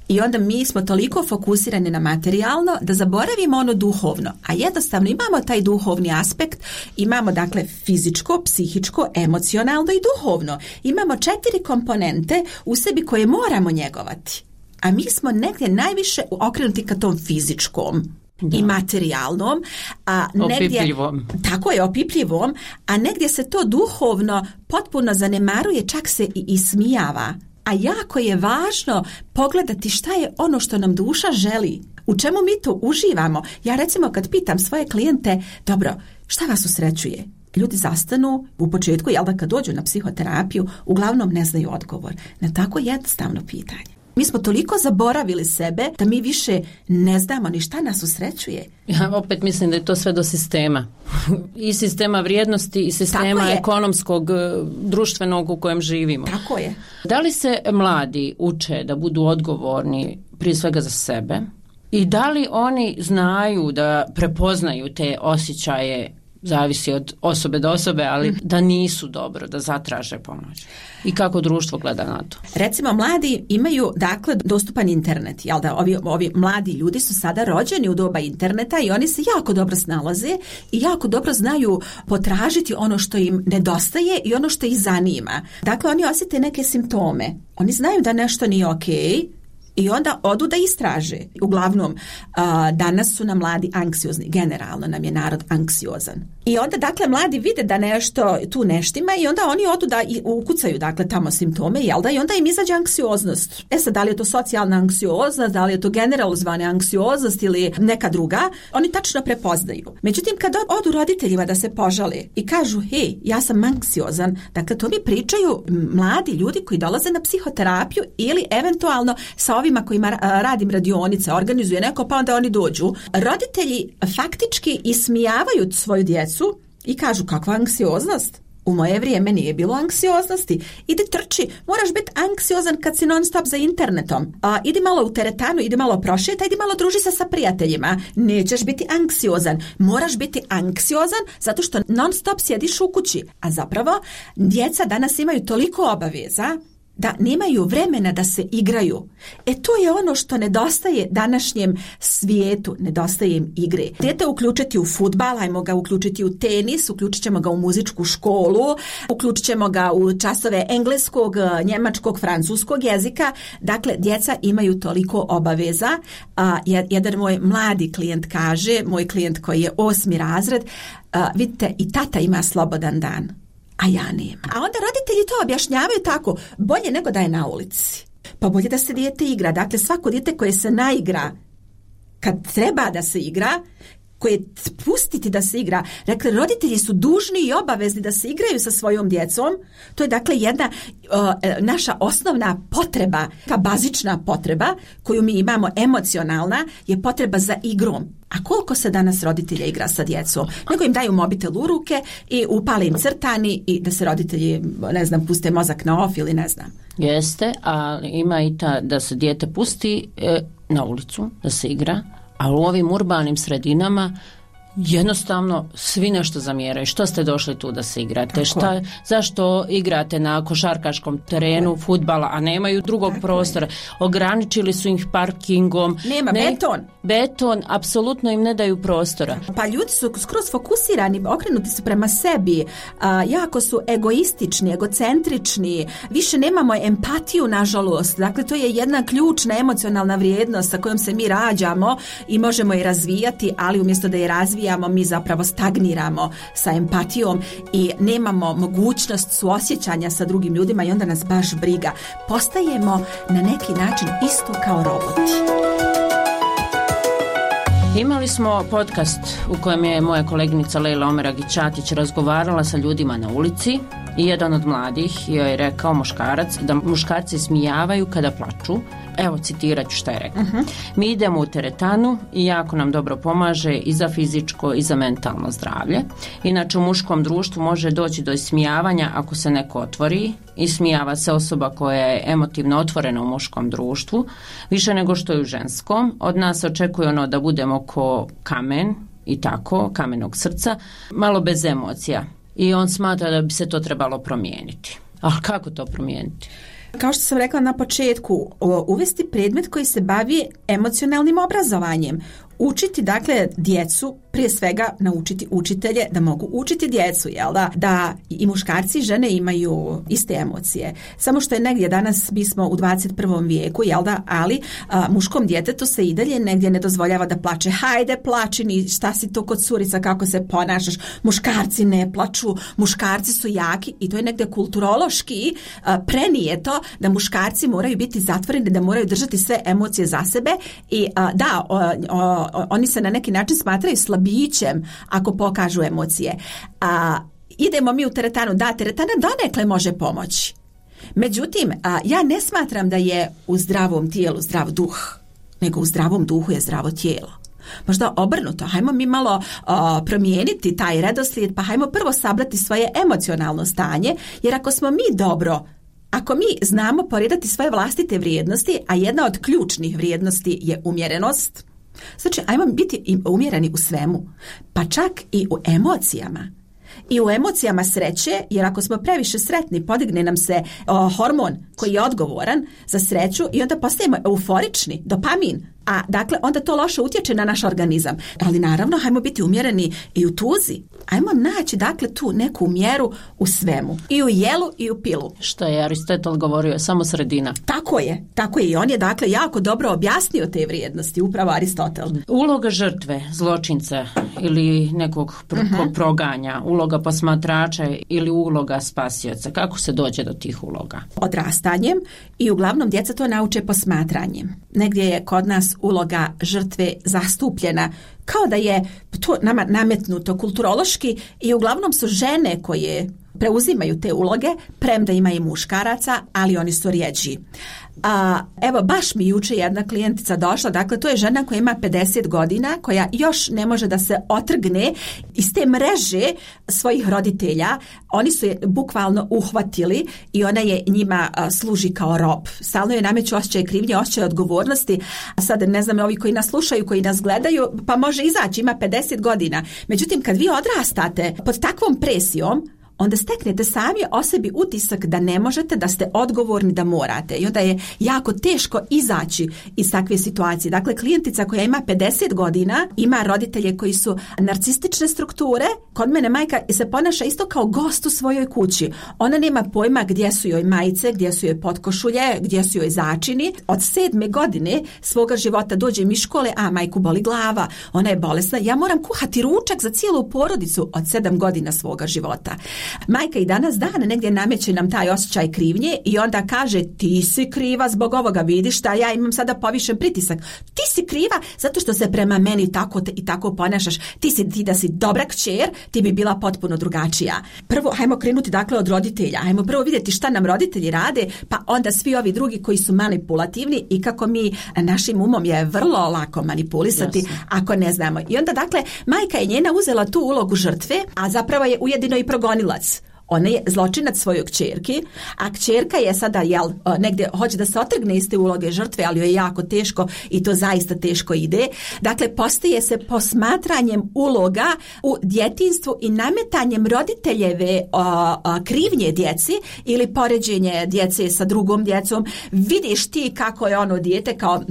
I onda mi smo toliko fokusirani na materijalno da zaboravimo ono duhovno, a jednostavno imamo taj duhovni aspekt, imamo dakle fizičko, psihičko, emocionalno i duhovno. Imamo četiri komponente u sebi koje moramo njegovati, a mi smo negdje najviše okrenuti ka tom fizičkom. Da. I materijalnom, a negdje, opipljivom. Tako je, opipljivom, a negdje se to duhovno potpuno zanemaruje, čak se i ismijava. A jako je važno pogledati šta je ono što nam duša želi, u čemu mi to uživamo. Ja recimo kad pitam svoje klijente, dobro, šta vas usrećuje? Ljudi zastanu u početku, jel da, kad dođu na psihoterapiju, uglavnom ne znaju odgovor na tako jednostavno pitanje. Mi smo toliko zaboravili sebe da mi više ne znamo ni šta nas usrećuje. Ja opet mislim da je to sve do sistema. I sistema vrijednosti i sistema ekonomskog, društvenog u kojem živimo. Tako je. Da li se mladi uče da budu odgovorni prije svega za sebe i da li oni znaju da prepoznaju te osjećaje, zavisi od osobe do osobe, ali mm. da nisu dobro, da zatraže pomoć? I kako društvo gleda na to? Recimo, mladi imaju, dakle, dostupan internet. Jel da, ovi, ovi mladi ljudi su sada rođeni u doba interneta i oni se jako dobro snalaze i jako dobro znaju potražiti ono što im nedostaje i ono što ih zanima. Dakle, oni osjete neke simptome. Oni znaju da nešto nije okej, I onda odu da istraže. Uglavnom, danas su nam mladi anksiozni. Generalno nam je narod anksiozan. I onda, dakle, mladi vide da nešto tu neštima i onda oni odu da ukucaju, dakle, tamo simptome, jel da? I onda im izađe anksioznost. E sad, da li je to socijalna anksioznost, da li je to generalizovana anksioznost ili neka druga, oni tačno prepoznaju. Međutim, kad odu roditeljima da se požale i kažu, hej, ja sam anksiozan, dakle, to mi pričaju mladi ljudi koji dolaze na psihoterapiju ili eventualno sa ovima kojima radim radionice, organizuje neko, pa onda oni dođu. Roditelji faktički ismijavaju svoju djecu i kažu, kakva anksioznost? U moje vrijeme nije bilo anksioznosti. Idi trči, moraš biti anksiozan kad si non stop za internetom. A, idi malo u teretanu, idi malo prošeta, idi malo druži se sa prijateljima. Nećeš biti anksiozan. Moraš biti anksiozan zato što non stop sjediš u kući. A zapravo, djeca danas imaju toliko obaveza da nemaju vremena da se igraju. E to je ono što nedostaje današnjem svijetu, nedostaje im igre. Dijete uključiti u fudbal, ajmo ga uključiti u tenis, uključit ćemo ga u muzičku školu, uključit ćemo ga u časove engleskog, njemačkog, francuskog jezika. Dakle, djeca imaju toliko obaveza. A, jedan moj mladi klijent kaže, moj klijent koji je osmi razred, a, vidite, i tata ima slobodan dan, a ja nemam. A onda roditelji to objašnjavaju tako, bolje nego da je na ulici. Pa bolje da se dijete igra. Dakle, svako dijete koje se naigra kad treba da se igra, koje pustiti da se igra. Dakle, roditelji su dužni i obavezni da se igraju sa svojom djecom. To je dakle jedna uh, naša osnovna potreba, ka bazična potreba koju mi imamo, emocionalna, je potreba za igrom. A koliko se danas roditelja igra sa djecom? Nego im daju mobitel u ruke i upale im crtani i da se roditelji, ne znam, puste mozak na off ili ne znam. Jeste, ali ima i ta da se dijete pusti e, na ulicu, da se igra, ali u ovim urbanim sredinama jednostavno svi nešto zamjeraju. Što ste došli tu da se igrate? Šta, zašto igrate na košarkaškom terenu fudbala, a nemaju drugog Tako prostora? Je. Ograničili su ih parkingom. Nema, ne, beton. Beton, apsolutno im ne daju prostora. Pa ljudi su skroz fokusirani, okrenuti su prema sebi, a, jako su egoistični, egocentrični, više nemamo empatiju, nažalost. Dakle, to je jedna ključna emocionalna vrijednost sa kojom se mi rađamo i možemo je razvijati, ali umjesto da je razvijamo, mi zapravo stagniramo sa empatijom i nemamo mogućnost suosjećanja sa drugim ljudima i onda nas baš briga. Postajemo na neki način isto kao roboti. Imali smo podcast u kojem je moja koleginica Lejla Omeragić-Ćatić razgovarala sa ljudima na ulici i jedan od mladih joj je rekao, muškarac, da muškarci smijavaju kada plaču. Evo, citirat ću šta je rekao. Uh-huh. Mi idemo u teretanu i jako nam dobro pomaže i za fizičko i za mentalno zdravlje. Inače, u muškom društvu može doći do ismijavanja ako se neko otvori. Ismijava se osoba koja je emotivno otvorena u muškom društvu, više nego što je u ženskom. Od nas očekuje ono da budemo ko kamen i tako, kamenog srca, malo bez emocija. I on smatra da bi se to trebalo promijeniti. A kako to promijeniti? Kao što sam rekla na početku, uvesti predmet koji se bavi emocionalnim obrazovanjem. Učiti, dakle, djecu, prije svega naučiti učitelje da mogu učiti djecu, jel da? Da i muškarci i žene imaju iste emocije. Samo što je negdje danas, mi smo u dvadeset prvom vijeku, jel da? Ali a, muškom djetetu se i dalje negdje ne dozvoljava da plače. Hajde, plači, ni šta si to kod curica, kako se ponašaš. Muškarci ne plaču, muškarci su jaki i to je negdje kulturološki a, prenijeto da muškarci moraju biti zatvoreni, da moraju držati sve emocije za sebe i a, da, o, o, oni se na neki način smatraju slabićem ako pokažu emocije. A, idemo mi u teretanu, da, teretana donekle može pomoći. Međutim, a, ja ne smatram da je u zdravom tijelu zdrav duh, nego u zdravom duhu je zdravo tijelo. Možda obrnuto, hajmo mi malo a, promijeniti taj redoslijed, pa hajmo prvo sabrati svoje emocionalno stanje, jer ako smo mi dobro, ako mi znamo poredati svoje vlastite vrijednosti, a jedna od ključnih vrijednosti je umjerenost, znači, ajmo biti umjereni u svemu, pa čak i u emocijama. I u emocijama sreće, jer ako smo previše sretni, podigne nam se o, hormon koji je odgovoran za sreću i onda postajemo euforični, dopamin. A dakle, onda to loše utječe na naš organizam. Ali naravno, hajmo biti umjereni i u tuzi. Ajmo naći, dakle, tu neku mjeru u svemu. I u jelu i u pilu. Što je Aristotel govorio, samo sredina. Tako je, tako je. I on je, dakle, jako dobro objasnio te vrijednosti, upravo Aristotel. Uloga žrtve, zločinca ili nekog pro- uh-huh. proganja, uloga posmatrača ili uloga spasioca. Kako se dođe do tih uloga? Odrastanjem i uglavnom djeca to nauče posmatranjem. Negdje je kod nas uloga žrtve zastupljena kao da je to nama nametnuto kulturološki i uglavnom su žene koje preuzimaju te uloge, premda ima i muškaraca, ali oni su rjeđi. A, evo, baš mi juče jedna klijentica došla, dakle to je žena koja ima pedeset godina, koja još ne može da se otrgne iz te mreže svojih roditelja. Oni su je bukvalno uhvatili i ona je njima a, služi kao rob. Stalno je nameću osjećaj krivnje, osjećaj odgovornosti. A sad ne znam, ovi koji nas slušaju, koji nas gledaju, pa može izaći, ima pedeset godina. Međutim, kad vi odrastate pod takvom presijom, onda steknete sami o sebi utisak da ne možete, da ste odgovorni, da morate. I onda je jako teško izaći iz takve situacije. Dakle, klijentica koja ima pedeset godina, ima roditelje koji su narcistične strukture. Kod mene majka se ponaša isto kao gost u svojoj kući. Ona nema pojma gdje su joj majice, gdje su joj potkošulje, gdje su joj začini. Od sedme godine svoga života dođe mi škole, a majku boli glava, ona je bolesna. Ja moram kuhati ručak za cijelu porodicu od sedam godina svoga života. Majka i danas dana negdje nameće nam taj osjećaj krivnje i onda kaže ti si kriva zbog ovoga, vidiš da ja imam sada povišen pritisak. Ti si kriva zato što se prema meni tako te, i tako ponašaš. Ti si ti da si dobra kćer, ti bi bila potpuno drugačija. Prvo, hajmo krenuti dakle od roditelja. Hajmo prvo vidjeti šta nam roditelji rade, pa onda svi ovi drugi koji su manipulativni i kako mi našim umom je vrlo lako manipulisati Jasne. Ako ne znamo. I onda dakle, majka je njena uzela tu ulogu žrtve, a zapravo je ujedino i progonilac. Ona je zločinac svojoj kćerki, a kćerka je sada jel, negdje hoće da se otrgne iz te uloge žrtve, ali joj je jako teško i to zaista teško ide. Dakle, postaje se posmatranjem uloga u djetinjstvu i nametanjem roditeljeve o, o, krivnje djeci ili poređenje djece sa drugom djecom. Vidiš ti kako je ono dijete kao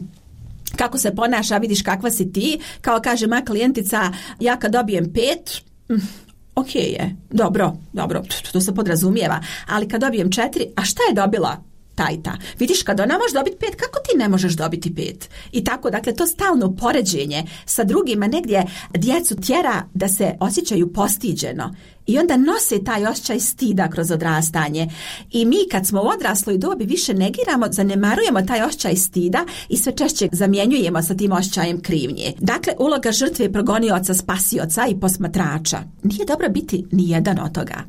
kako se ponaša, vidiš kakva si ti. Kao kaže moja klijentica, ja kad dobijem pet... Ok je, dobro, dobro, to se podrazumijeva, ali kad dobijem četiri, a šta je dobila ta i ta? Vidiš, kad ona može dobiti pet, kako ti ne možeš dobiti pet? I tako, dakle, to stalno poređenje sa drugima negdje djecu tjera da se osjećaju postiđeno. I onda nose taj osjećaj stida kroz odrastanje. I mi kad smo u odrasloj dobi više negiramo, zanemarujemo taj osjećaj stida i sve češće zamjenjujemo sa tim osjećajem krivnje. Dakle, uloga žrtve je progonioca, spasioca i posmatrača. Nije dobro biti ni jedan od toga.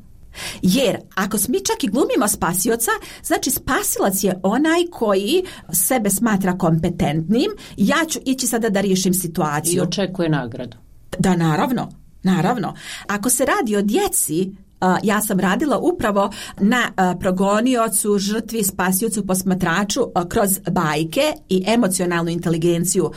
Jer ako mi čak i glumimo spasioca, znači spasilac je onaj koji sebe smatra kompetentnim, ja ću ići sada da riješim situaciju. I očekuje nagradu. Da, naravno. Naravno, ako se radi o djeci, ja sam radila upravo na progoniocu, žrtvi, spasiocu, posmatraču kroz bajke i emocionalnu inteligenciju.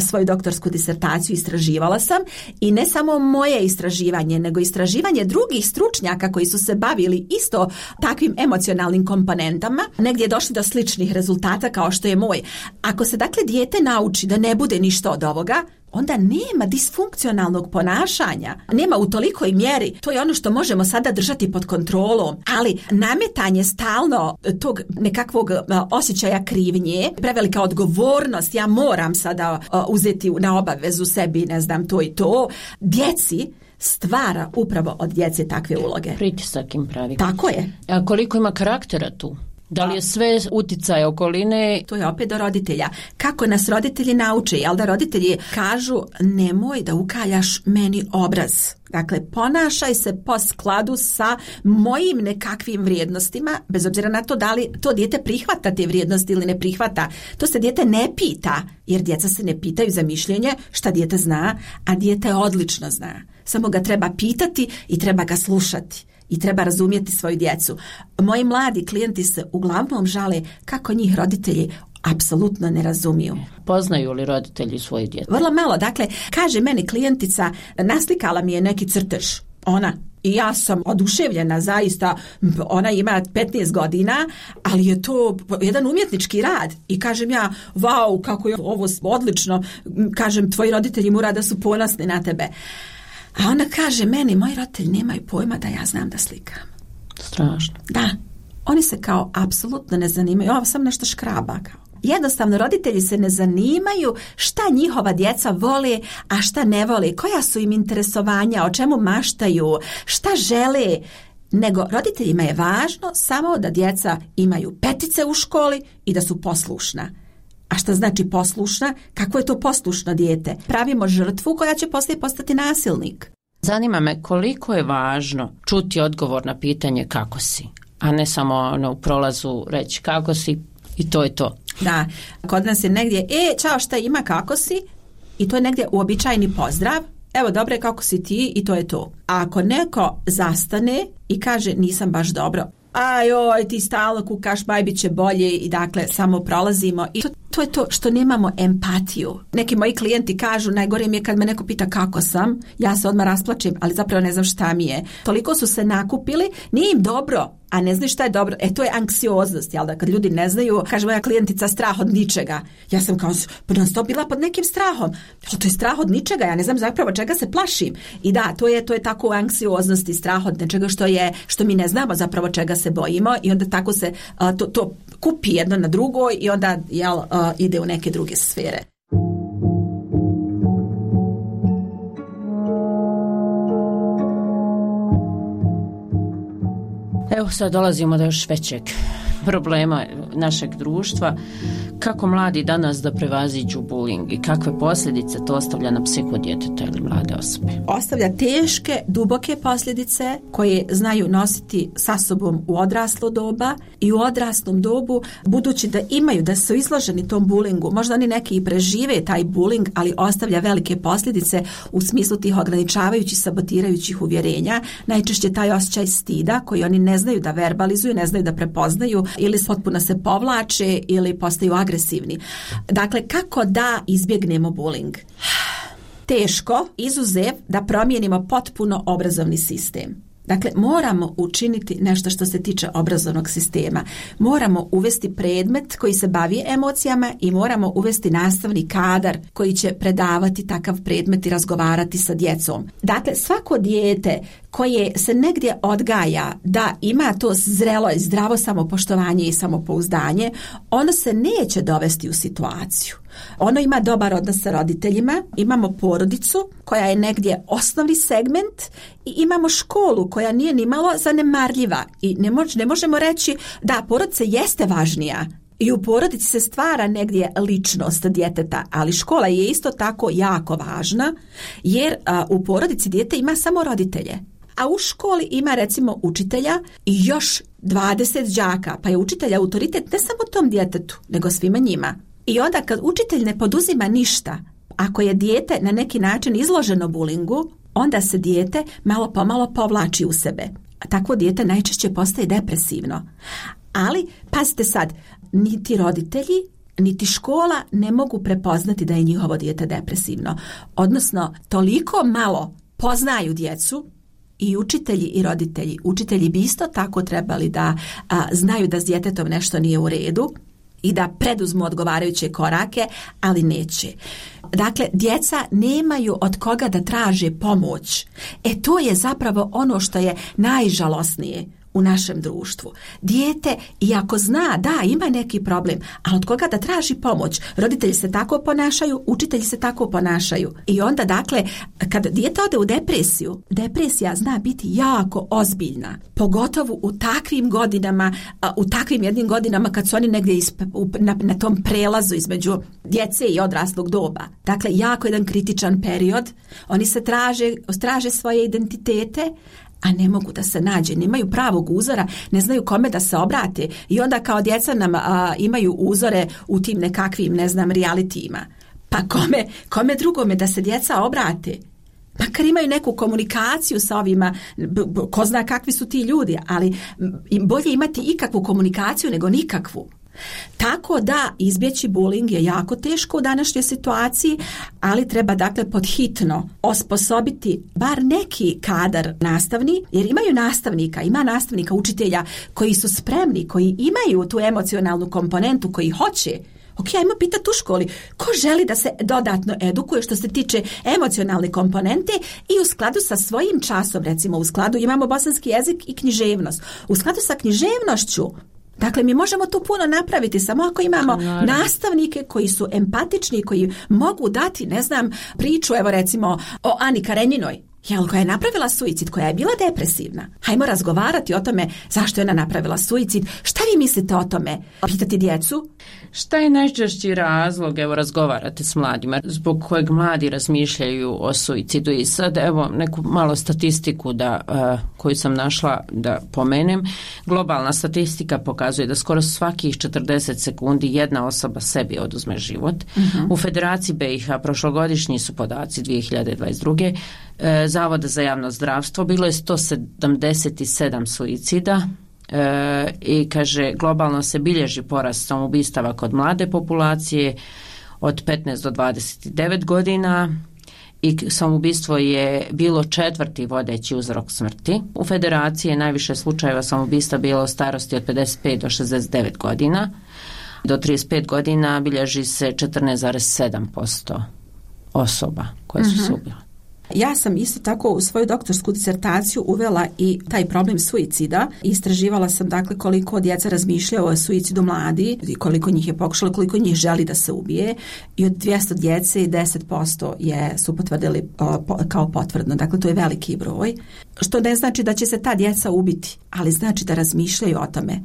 Svoju doktorsku disertaciju istraživala sam i ne samo moje istraživanje, nego istraživanje drugih stručnjaka koji su se bavili isto takvim emocionalnim komponentama. Negdje je došli do sličnih rezultata kao što je moj. Ako se dakle dijete nauči da ne bude ništa od ovoga, onda nema disfunkcionalnog ponašanja. Nema u tolikoj mjeri. To je ono što možemo sada držati pod kontrolom. Ali nametanje stalno tog nekakvog osjećaja krivnje, prevelika odgovornost, ja moram sada uzeti na obavezu sebi, ne znam, to i to, djeci stvara upravo od djece takve uloge. Pritisak im pravi. Tako je. A koliko ima karaktera tu? Da li je sve utjecaj okoline? To je opet do roditelja. Kako nas roditelji nauče, jel da roditelji kažu nemoj da ukaljaš meni obraz. Dakle, ponašaj se po skladu sa mojim nekakvim vrijednostima, bez obzira na to da li to dijete prihvata te vrijednosti ili ne prihvata. To se dijete ne pita, jer djeca se ne pitaju za mišljenje šta dijete zna, a dijete odlično zna. Samo ga treba pitati i treba ga slušati. I treba razumjeti svoju djecu. Moji mladi klijenti se uglavnom žale kako njih roditelji apsolutno ne razumiju. Poznaju li roditelji svoje djece? Vrlo malo. Dakle, kaže meni klijentica, naslikala mi je neki crtež. Ona. I ja sam oduševljena, zaista, ona ima petnaest godina, ali je to jedan umjetnički rad. I kažem ja, vau, kako je ovo odlično, kažem, tvoji roditelji mora da su ponosni na tebe. A ona kaže meni, moji roditelji nemaju pojma da ja znam da slikam. Strašno. Da, oni se kao apsolutno ne zanimaju, ovo sam nešto škraba kao. Jednostavno, roditelji se ne zanimaju šta njihova djeca vole, a šta ne vole, koja su im interesovanja, o čemu maštaju, šta žele, nego roditeljima je važno samo da djeca imaju petice u školi i da su poslušna. A šta znači poslušna? Kako je to poslušno dijete? Pravimo žrtvu koja će poslije postati nasilnik. Zanima me koliko je važno čuti odgovor na pitanje kako si, a ne samo ono, u prolazu reći kako si i to je to. Da, kod nas je negdje, e, čao, šta ima, kako si? I to je negdje uobičajeni pozdrav. Evo, dobre, kako si ti? I to je to. A ako neko zastane i kaže nisam baš dobro, aj, oj, ti stalno kukaš, baj, bit će bolje i dakle, samo prolazimo. I to, to je to što nemamo empatiju. Neki moji klijenti kažu, najgore mi je kad me neko pita kako sam, ja se odmah rasplačem, ali zapravo ne znam šta mi je. Toliko su se nakupili, nije im dobro, a ne znaju šta je dobro. E, to je anksioznost, jel da, kad ljudi ne znaju, kaže moja klijentica, strah od ničega. Ja sam kao, non stop bila pod nekim strahom. Ali to je strah od ničega, ja ne znam zapravo čega se plašim. I da, to je, to je tako anksioznost i strah od nečega što je, što mi ne znamo zapravo čega se bojimo i onda tako se uh, to, to kupi jedno na drugo i onda, jel, uh, ide u neke druge sfere. Evo sad dolazimo do još većeg problema našeg društva. Kako mladi danas da prevaziđu bullying i kakve posljedice to ostavlja na psihu djeteta ili mlade osobe? Ostavlja teške, duboke posljedice koje znaju nositi sa sobom u odraslo doba i u odraslom dobu, budući da imaju, da su izloženi tom bullyingu. Možda oni neki i prežive taj bullying, ali ostavlja velike posljedice u smislu tih ograničavajućih, sabotirajućih uvjerenja. Najčešće taj osjećaj stida koji oni ne znaju da verbalizuju, ne znaju da prepoznaju ili potpuno se povlače ili postaju agresivni. Dakle, kako da izbjegnemo bullying? Teško, izuzev da promijenimo potpuno obrazovni sistem. Dakle, moramo učiniti nešto što se tiče obrazovnog sistema. Moramo uvesti predmet koji se bavi emocijama i moramo uvesti nastavni kadar koji će predavati takav predmet i razgovarati sa djecom. Dakle, svako dijete koje se negdje odgaja da ima to zrelo i zdravo samopoštovanje i samopouzdanje, ono se neće dovesti u situaciju. Ono ima dobar odnos sa roditeljima, imamo porodicu koja je negdje osnovni segment i imamo školu koja nije ni malo zanemarljiva i ne, mož, ne možemo reći da porodica jeste važnija. I u porodici se stvara negdje ličnost djeteta, ali škola je isto tako jako važna jer a, u porodici dijete ima samo roditelje. A u školi ima recimo učitelja i još dvadeset đaka, pa je učitelj autoritet ne samo tom djetetu, nego svima njima. I onda kad učitelj ne poduzima ništa, ako je dijete na neki način izloženo bulingu, onda se dijete malo pomalo povlači u sebe. Takvo dijete najčešće postaje depresivno. Ali, pazite sad, niti roditelji, niti škola ne mogu prepoznati da je njihovo dijete depresivno. Odnosno, toliko malo poznaju djecu, i učitelji i roditelji. Učitelji bi isto tako trebali da a, znaju da s djetetom nešto nije u redu i da preduzmu odgovarajuće korake, ali neće. Dakle, djeca nemaju od koga da traže pomoć. E to je zapravo ono što je najžalosnije u našem društvu. Dijete, iako zna da ima neki problem, ali od koga da traži pomoć? Roditelji se tako ponašaju, učitelji se tako ponašaju. I onda, dakle, kad dijete ode u depresiju, depresija zna biti jako ozbiljna. Pogotovo u takvim godinama, u takvim jednim godinama kad su oni negdje isp, na, na tom prelazu između djece i odraslog doba. Dakle, jako jedan kritičan period. Oni se traže, traže svoje identitete, a ne mogu da se nađe, nemaju pravog uzora, ne znaju kome da se obrate i onda kao djeca nam a, imaju uzore u tim nekakvim, ne znam, realitijima. Pa kome, kome drugome da se djeca obrate? Makar imaju neku komunikaciju sa ovima, ko zna kakvi su ti ljudi, ali bolje imati ikakvu komunikaciju nego nikakvu. Tako da izbjeći bullying je jako teško u današnjoj situaciji, ali treba dakle podhitno osposobiti bar neki kadar nastavni, jer imaju nastavnika, ima nastavnika, učitelja koji su spremni, koji imaju tu emocionalnu komponentu, koji hoće. Ok, ajmo pitati u školi, ko želi da se dodatno edukuje što se tiče emocionalne komponente i u skladu sa svojim časom, recimo u skladu imamo bosanski jezik i književnost. U skladu sa književnošću, dakle mi možemo tu puno napraviti samo ako imamo Naravno. nastavnike koji su empatični, koji mogu dati, ne znam, priču, evo recimo o Ani Karenjinoj, jel, koja je napravila suicid, koja je bila depresivna. Hajmo razgovarati o tome zašto je ona napravila suicid. Šta vi mislite o tome? Pitati djecu? Šta je najčešći razlog, evo razgovarate s mladima, zbog kojeg mladi razmišljaju o suicidu? I sad evo neku malo statistiku da, uh, koju sam našla da pomenem. Globalna statistika pokazuje da skoro svakih četrdeset sekundi jedna osoba sebi oduzme život. Uh-huh. U Federaciji B i H prošlogodišnji su podaci dvije hiljade dvadeset druge. Uh, Zavoda za javno zdravstvo bilo je sto sedamdeset sedam suicida. E, i kaže globalno se bilježi porast samoubistava kod mlade populacije od petnaest do dvadeset devet godina i samoubistvo je bilo četvrti vodeći uzrok smrti. U Federaciji je najviše slučajeva samoubistva bilo u starosti od pedeset pet do šezdeset devet godina. Do trideset pet godina bilježi se četrnaest zarez sedam posto osoba koje su se ubile. Ja sam isto tako u svoju doktorsku disertaciju uvela i taj problem suicida. Istraživala sam dakle koliko djeca razmišljaju o suicidu mladi i koliko njih je pokušalo, koliko njih želi da se ubije. I od dvjesto djece deset posto je, su potvrdili o, po, kao potvrdno. Dakle, to je veliki broj. Što ne znači da će se ta djeca ubiti, ali znači da razmišljaju o tome.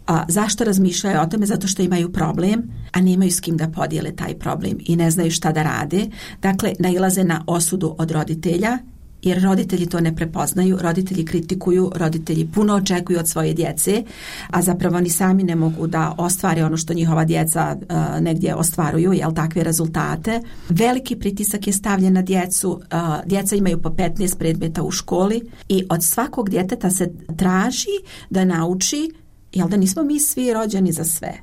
A, zašto razmišljaju o tome? Zato što imaju problem, a nemaju s kim da podijele taj problem i ne znaju šta da rade. Dakle, nailaze na osudu od roditelja, jer roditelji to ne prepoznaju, roditelji kritikuju, roditelji puno očekuju od svoje djece, a zapravo ni sami ne mogu da ostvare ono što njihova djeca uh, negdje ostvaruju, jel, takve rezultate. Veliki pritisak je stavljen na djecu, uh, djeca imaju po petnaest predmeta u školi i od svakog djeteta se traži da nauči, jel, da nismo mi svi rođeni za sve.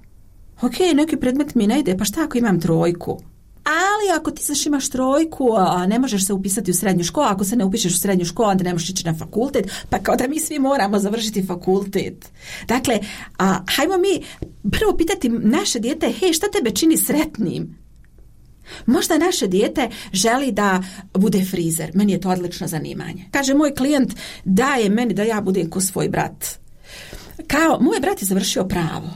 Ok, neki predmet mi ne ide, pa šta ako imam trojku? Ali ako ti znaš imaš trojku, a ne možeš se upisati u srednju školu, ako se ne upišeš u srednju školu, onda ne možeš ići na fakultet, pa kao da mi svi moramo završiti fakultet. Dakle, a, hajmo mi prvo pitati naše dijete, hej, šta tebe čini sretnim? Možda naše dijete želi da bude frizer, meni je to odlično zanimanje. Kaže moj klijent, daje meni da ja budem ko svoj brat. Kao, moj brat je završio pravo.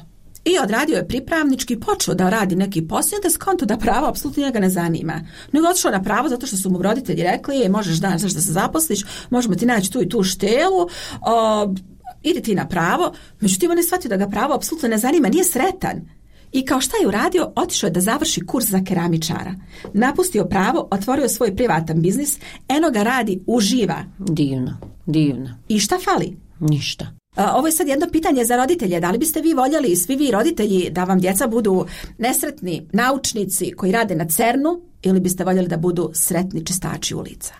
I odradio je pripravnički, počeo da radi neki posao, da skonto da pravo apsolutno njega ne zanima. Nego otišao na pravo zato što su mu roditelji rekli, je, možeš danas da se zaposliš, možemo ti naći tu i tu štelu, o, idi ti na pravo. Međutim, on je shvatio da ga pravo apsolutno ne zanima, nije sretan. I kao šta je uradio? Otišao je da završi kurs za keramičara. Napustio pravo, otvorio svoj privatan biznis, eno ga radi, uživa. Divno, divno. I šta fali? Ništa. Ovo je sad jedno pitanje za roditelje. Da li biste vi voljeli, svi vi roditelji, da vam djeca budu nesretni naučnici koji rade na cernu ili biste voljeli da budu sretni čistači ulica?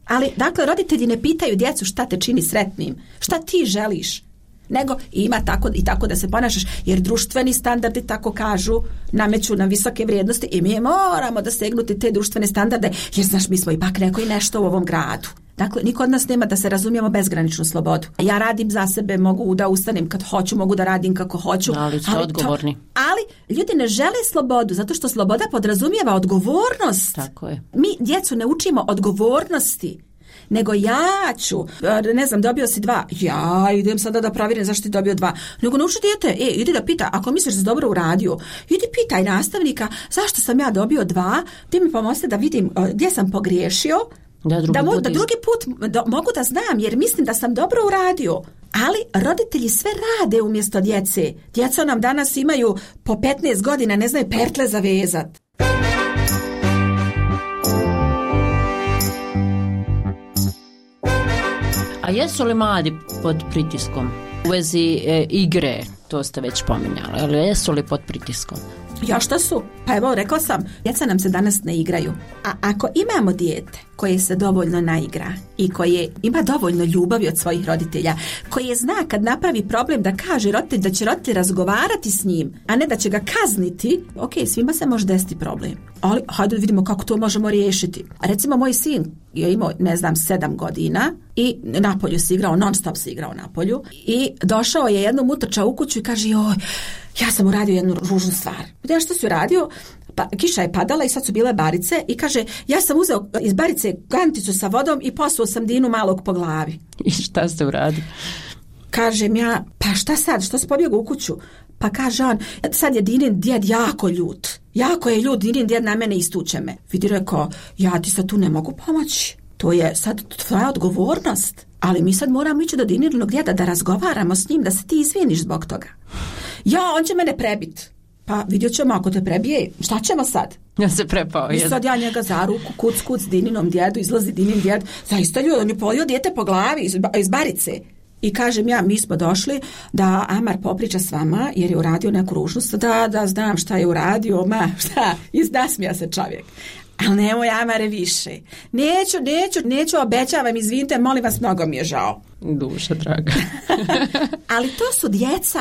Ali, dakle, roditelji ne pitaju djecu šta te čini sretnim, šta ti želiš, nego ima tako i tako da se ponašaš, jer društveni standardi, tako kažu, nameću nam visoke vrijednosti i mi moramo da stegnuti te društvene standarde, jer znaš, mi smo ipak neko i nešto u ovom gradu. Dakle, niko od nas nema, da se razumijemo, bezgraničnu slobodu. Ja radim za sebe, mogu da ustanem kad hoću, mogu da radim kako hoću. Ali ste odgovorni. To, ali ljudi ne žele slobodu, zato što sloboda podrazumijeva odgovornost. Tako je. Mi djecu ne učimo odgovornosti, nego ja ću, ne znam, dobio si dva, ja idem sada da provjerim zašto ti dobio dva. Nego nauči dijete, e, idi da pita, ako misliš da si dobro uradio, idi pitaj nastavnika zašto sam ja dobio dva, ti mi pomozite da vidim gdje sam pogriješio, Da drugi, da, mo, put, da drugi put do, mogu da znam, jer mislim da sam dobro uradio. Ali roditelji sve rade umjesto djece. Djeca nam danas imaju po petnaest godina, ne znaju pertle zavezat. A jesu li mladi pod pritiskom? U vezi e, igre, to ste već pominjali, ali jesu li pod pritiskom? Ja šta su? Pa evo, rekla sam, djeca nam se danas ne igraju. A ako imamo dijete koje se dovoljno naigra i koje ima dovoljno ljubavi od svojih roditelja, koje zna kad napravi problem da kaže roditelj da će roditelj razgovarati s njim, a ne da će ga kazniti, ok, svima se može desiti problem. Ali hajde vidimo kako to možemo riješiti. Recimo moj sin je imao, ne znam, sedam godina i napolju se igrao, non stop se igrao napolju i došao je jednom utrčao u kuću i kaže, joj, ja sam uradio jednu ružnu stvar. Ja što si uradio? Pa, kiša je padala i sad su bile barice i kaže, ja sam uzeo iz barice kanticu sa vodom i posuo sam Dinu malog po glavi. I šta ste uradili? Kažem ja, pa šta sad, što si pobjegao u kuću? Pa kaže on, sad je Dinin djed jako ljut. Jako je ljut, Dinin djed na mene istuče me. Vidi, rekao, ja ti sad tu ne mogu pomoći. To je sad tvoja odgovornost. Ali mi sad moramo ići do Dininog djeda da razgovaramo s njim, da se ti izviniš zbog toga. Ja, on će mene prebit. Pa vidjet ćemo ako te prebije, šta ćemo sad? Ja se prepao. I sad ja njega za ruku, kuc, kuc, Dininom djedu, izlazi Dinin djed. Zaista ljudi, on je polio dijete po glavi iz, iz barice. I kažem ja, mi smo došli da Amar popriča s vama jer je uradio neku ružnost, da, da znam šta je uradio, ma šta, iznasmija se čovjek. Ali nemoj Amare više. Neću, neću, neću, obećavam, izvinite, molim vas, mnogo mi je žao. Duša draga. Ali to su djeca.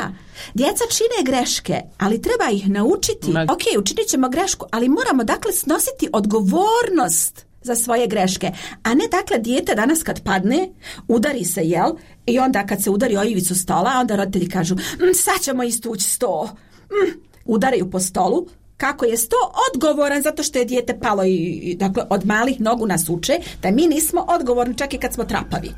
Djeca čine greške, ali treba ih naučiti. Ma... Ok, učinit ćemo grešku, ali moramo dakle snositi odgovornost za svoje greške. A ne dakle dijete danas kad padne, udari se, jel? I onda kad se udari o ivicu stola, onda roditelji kažu, mm, sad ćemo istući sto. Mm, udaraju po stolu. Kako je sto odgovoran zato što je dijete palo i, i dakle od malih nogu nas uče da mi nismo odgovorni čak i kad smo trapavi.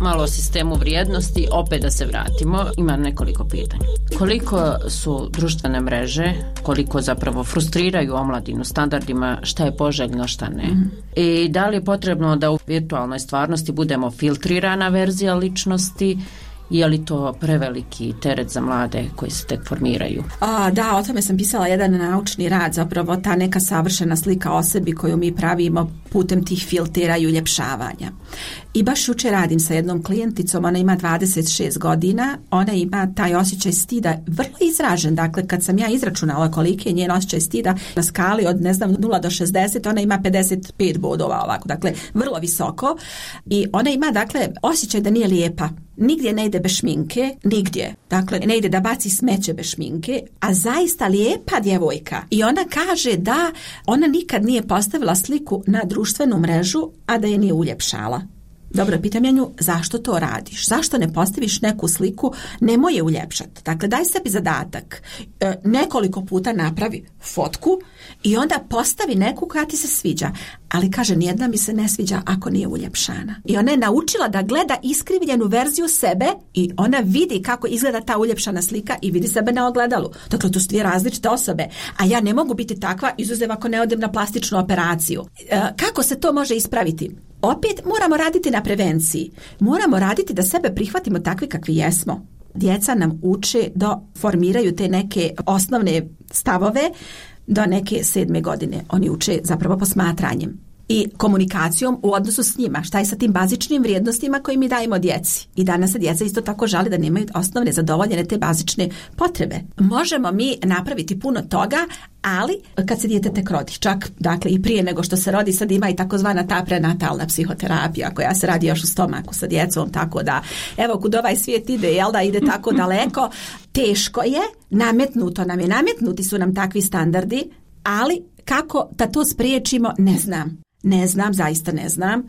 Malo o sistemu vrijednosti, opet da se vratimo, imam nekoliko pitanja. Koliko su društvene mreže, koliko zapravo frustriraju omladinu standardima, šta je poželjno, šta ne? Mm. I da li je potrebno da u virtualnoj stvarnosti budemo filtrirana verzija ličnosti, je li to preveliki teret za mlade koji se tek formiraju? A, da, o tome sam pisala jedan naučni rad, zapravo ta neka savršena slika o sebi koju mi pravimo putem tih filtera i uljepšavanja. I baš jučer radim sa jednom klijenticom, ona ima dvadeset šest godina, ona ima taj osjećaj stida vrlo izražen, dakle kad sam ja izračunala koliki je njen osjećaj stida na skali od ne znam nula do šezdeset, ona ima pedeset pet bodova ovako, dakle vrlo visoko i ona ima dakle osjećaj da nije lijepa. Nigdje ne ide bez šminke, nigdje. Dakle, ne ide da baci smeće bez šminke, a zaista lijepa djevojka. I ona kaže da ona nikad nije postavila sliku na društvenu mrežu, a da je nije uljepšala. Dobro, pitam ja nju, zašto to radiš? Zašto ne postaviš neku sliku, nemoj je uljepšati? Dakle, daj sebi zadatak. E, nekoliko puta napravi fotku i onda postavi neku koja ti se sviđa. Ali kaže, nijedna mi se ne sviđa ako nije uljepšana. I ona je naučila da gleda iskrivljenu verziju sebe i ona vidi kako izgleda ta uljepšana slika i vidi sebe na ogledalu. Dakle, to su dvije različite osobe. A ja ne mogu biti takva, izuzev ako ne odem na plastičnu operaciju. E, kako se to može ispraviti? Opet moramo raditi na prevenciji. Moramo raditi da sebe prihvatimo takvi kakvi jesmo. Djeca nam uče da formiraju te neke osnovne stavove do neke sedme godine. Oni uče zapravo posmatranjem i komunikacijom u odnosu s njima. Šta je sa tim bazičnim vrijednostima koje mi dajemo djeci? I danas se djeca isto tako žali da nemaju osnovne zadovoljene te bazične potrebe. Možemo mi napraviti puno toga, ali kad se dijete tek rodi, čak dakle i prije nego što se rodi, sad ima i takozvana ta prenatalna psihoterapija koja se radi još u stomaku sa djecom, tako da evo kud ovaj svijet ide, jel da ide tako daleko, teško je, nametnuto nam je, nametnuti su nam takvi standardi, ali kako da to spriječimo, ne znam. Ne znam, zaista ne znam.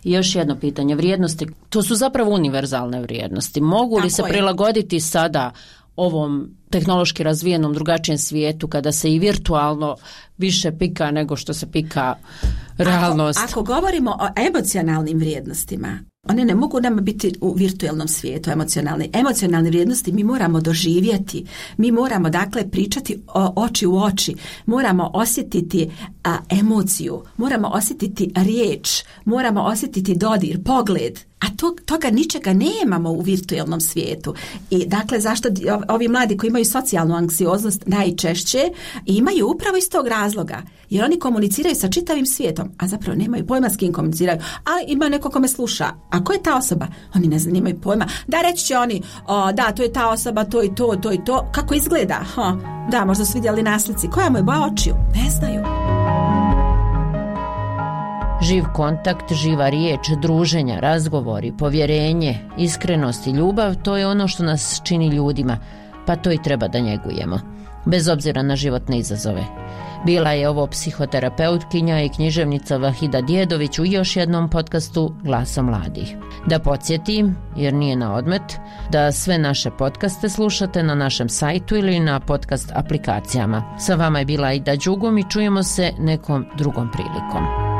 I još jedno pitanje, vrijednosti, to su zapravo univerzalne vrijednosti. Mogu li Tako se je. prilagoditi sada ovom tehnološki razvijenom drugačijem svijetu kada se i virtualno više pika nego što se pika realnost? Ako, ako govorimo o emocionalnim vrijednostima, one ne mogu nam biti u virtualnom svijetu emocionalne. Emocionalne vrijednosti mi moramo doživjeti. Mi moramo dakle pričati o, oči u oči. Moramo osjetiti a, emociju. Moramo osjetiti riječ. Moramo osjetiti dodir, pogled. a to, toga ničega nemamo u virtualnom svijetu. I dakle, zašto ovi mladi koji imaju socijalnu anksioznost najčešće imaju upravo iz tog razloga, jer oni komuniciraju sa čitavim svijetom, a zapravo nemaju pojma s kim komuniciraju, ali ima neko ko me sluša. A ko je ta osoba? Oni ne znaju, nemaju pojma. Da, reći će oni, o, da, to je ta osoba, to i to, to i to. Kako izgleda? Ha, da, možda su vidjeli na slici. Koja mu je boja očiju? Ne znaju. Živ kontakt, živa riječ, druženja, razgovori, povjerenje, iskrenost i ljubav, to je ono što nas čini ljudima, pa to i treba da njegujemo, bez obzira na životne izazove. Bila je ovo psihoterapeutkinja i književnica Vahida Djedović u još jednom podcastu Glasa mladih. Da podsjetim, jer nije na odmet, da sve naše podcaste slušate na našem sajtu ili na podcast aplikacijama. Sa vama je bila Aida Đugum i čujemo se nekom drugom prilikom.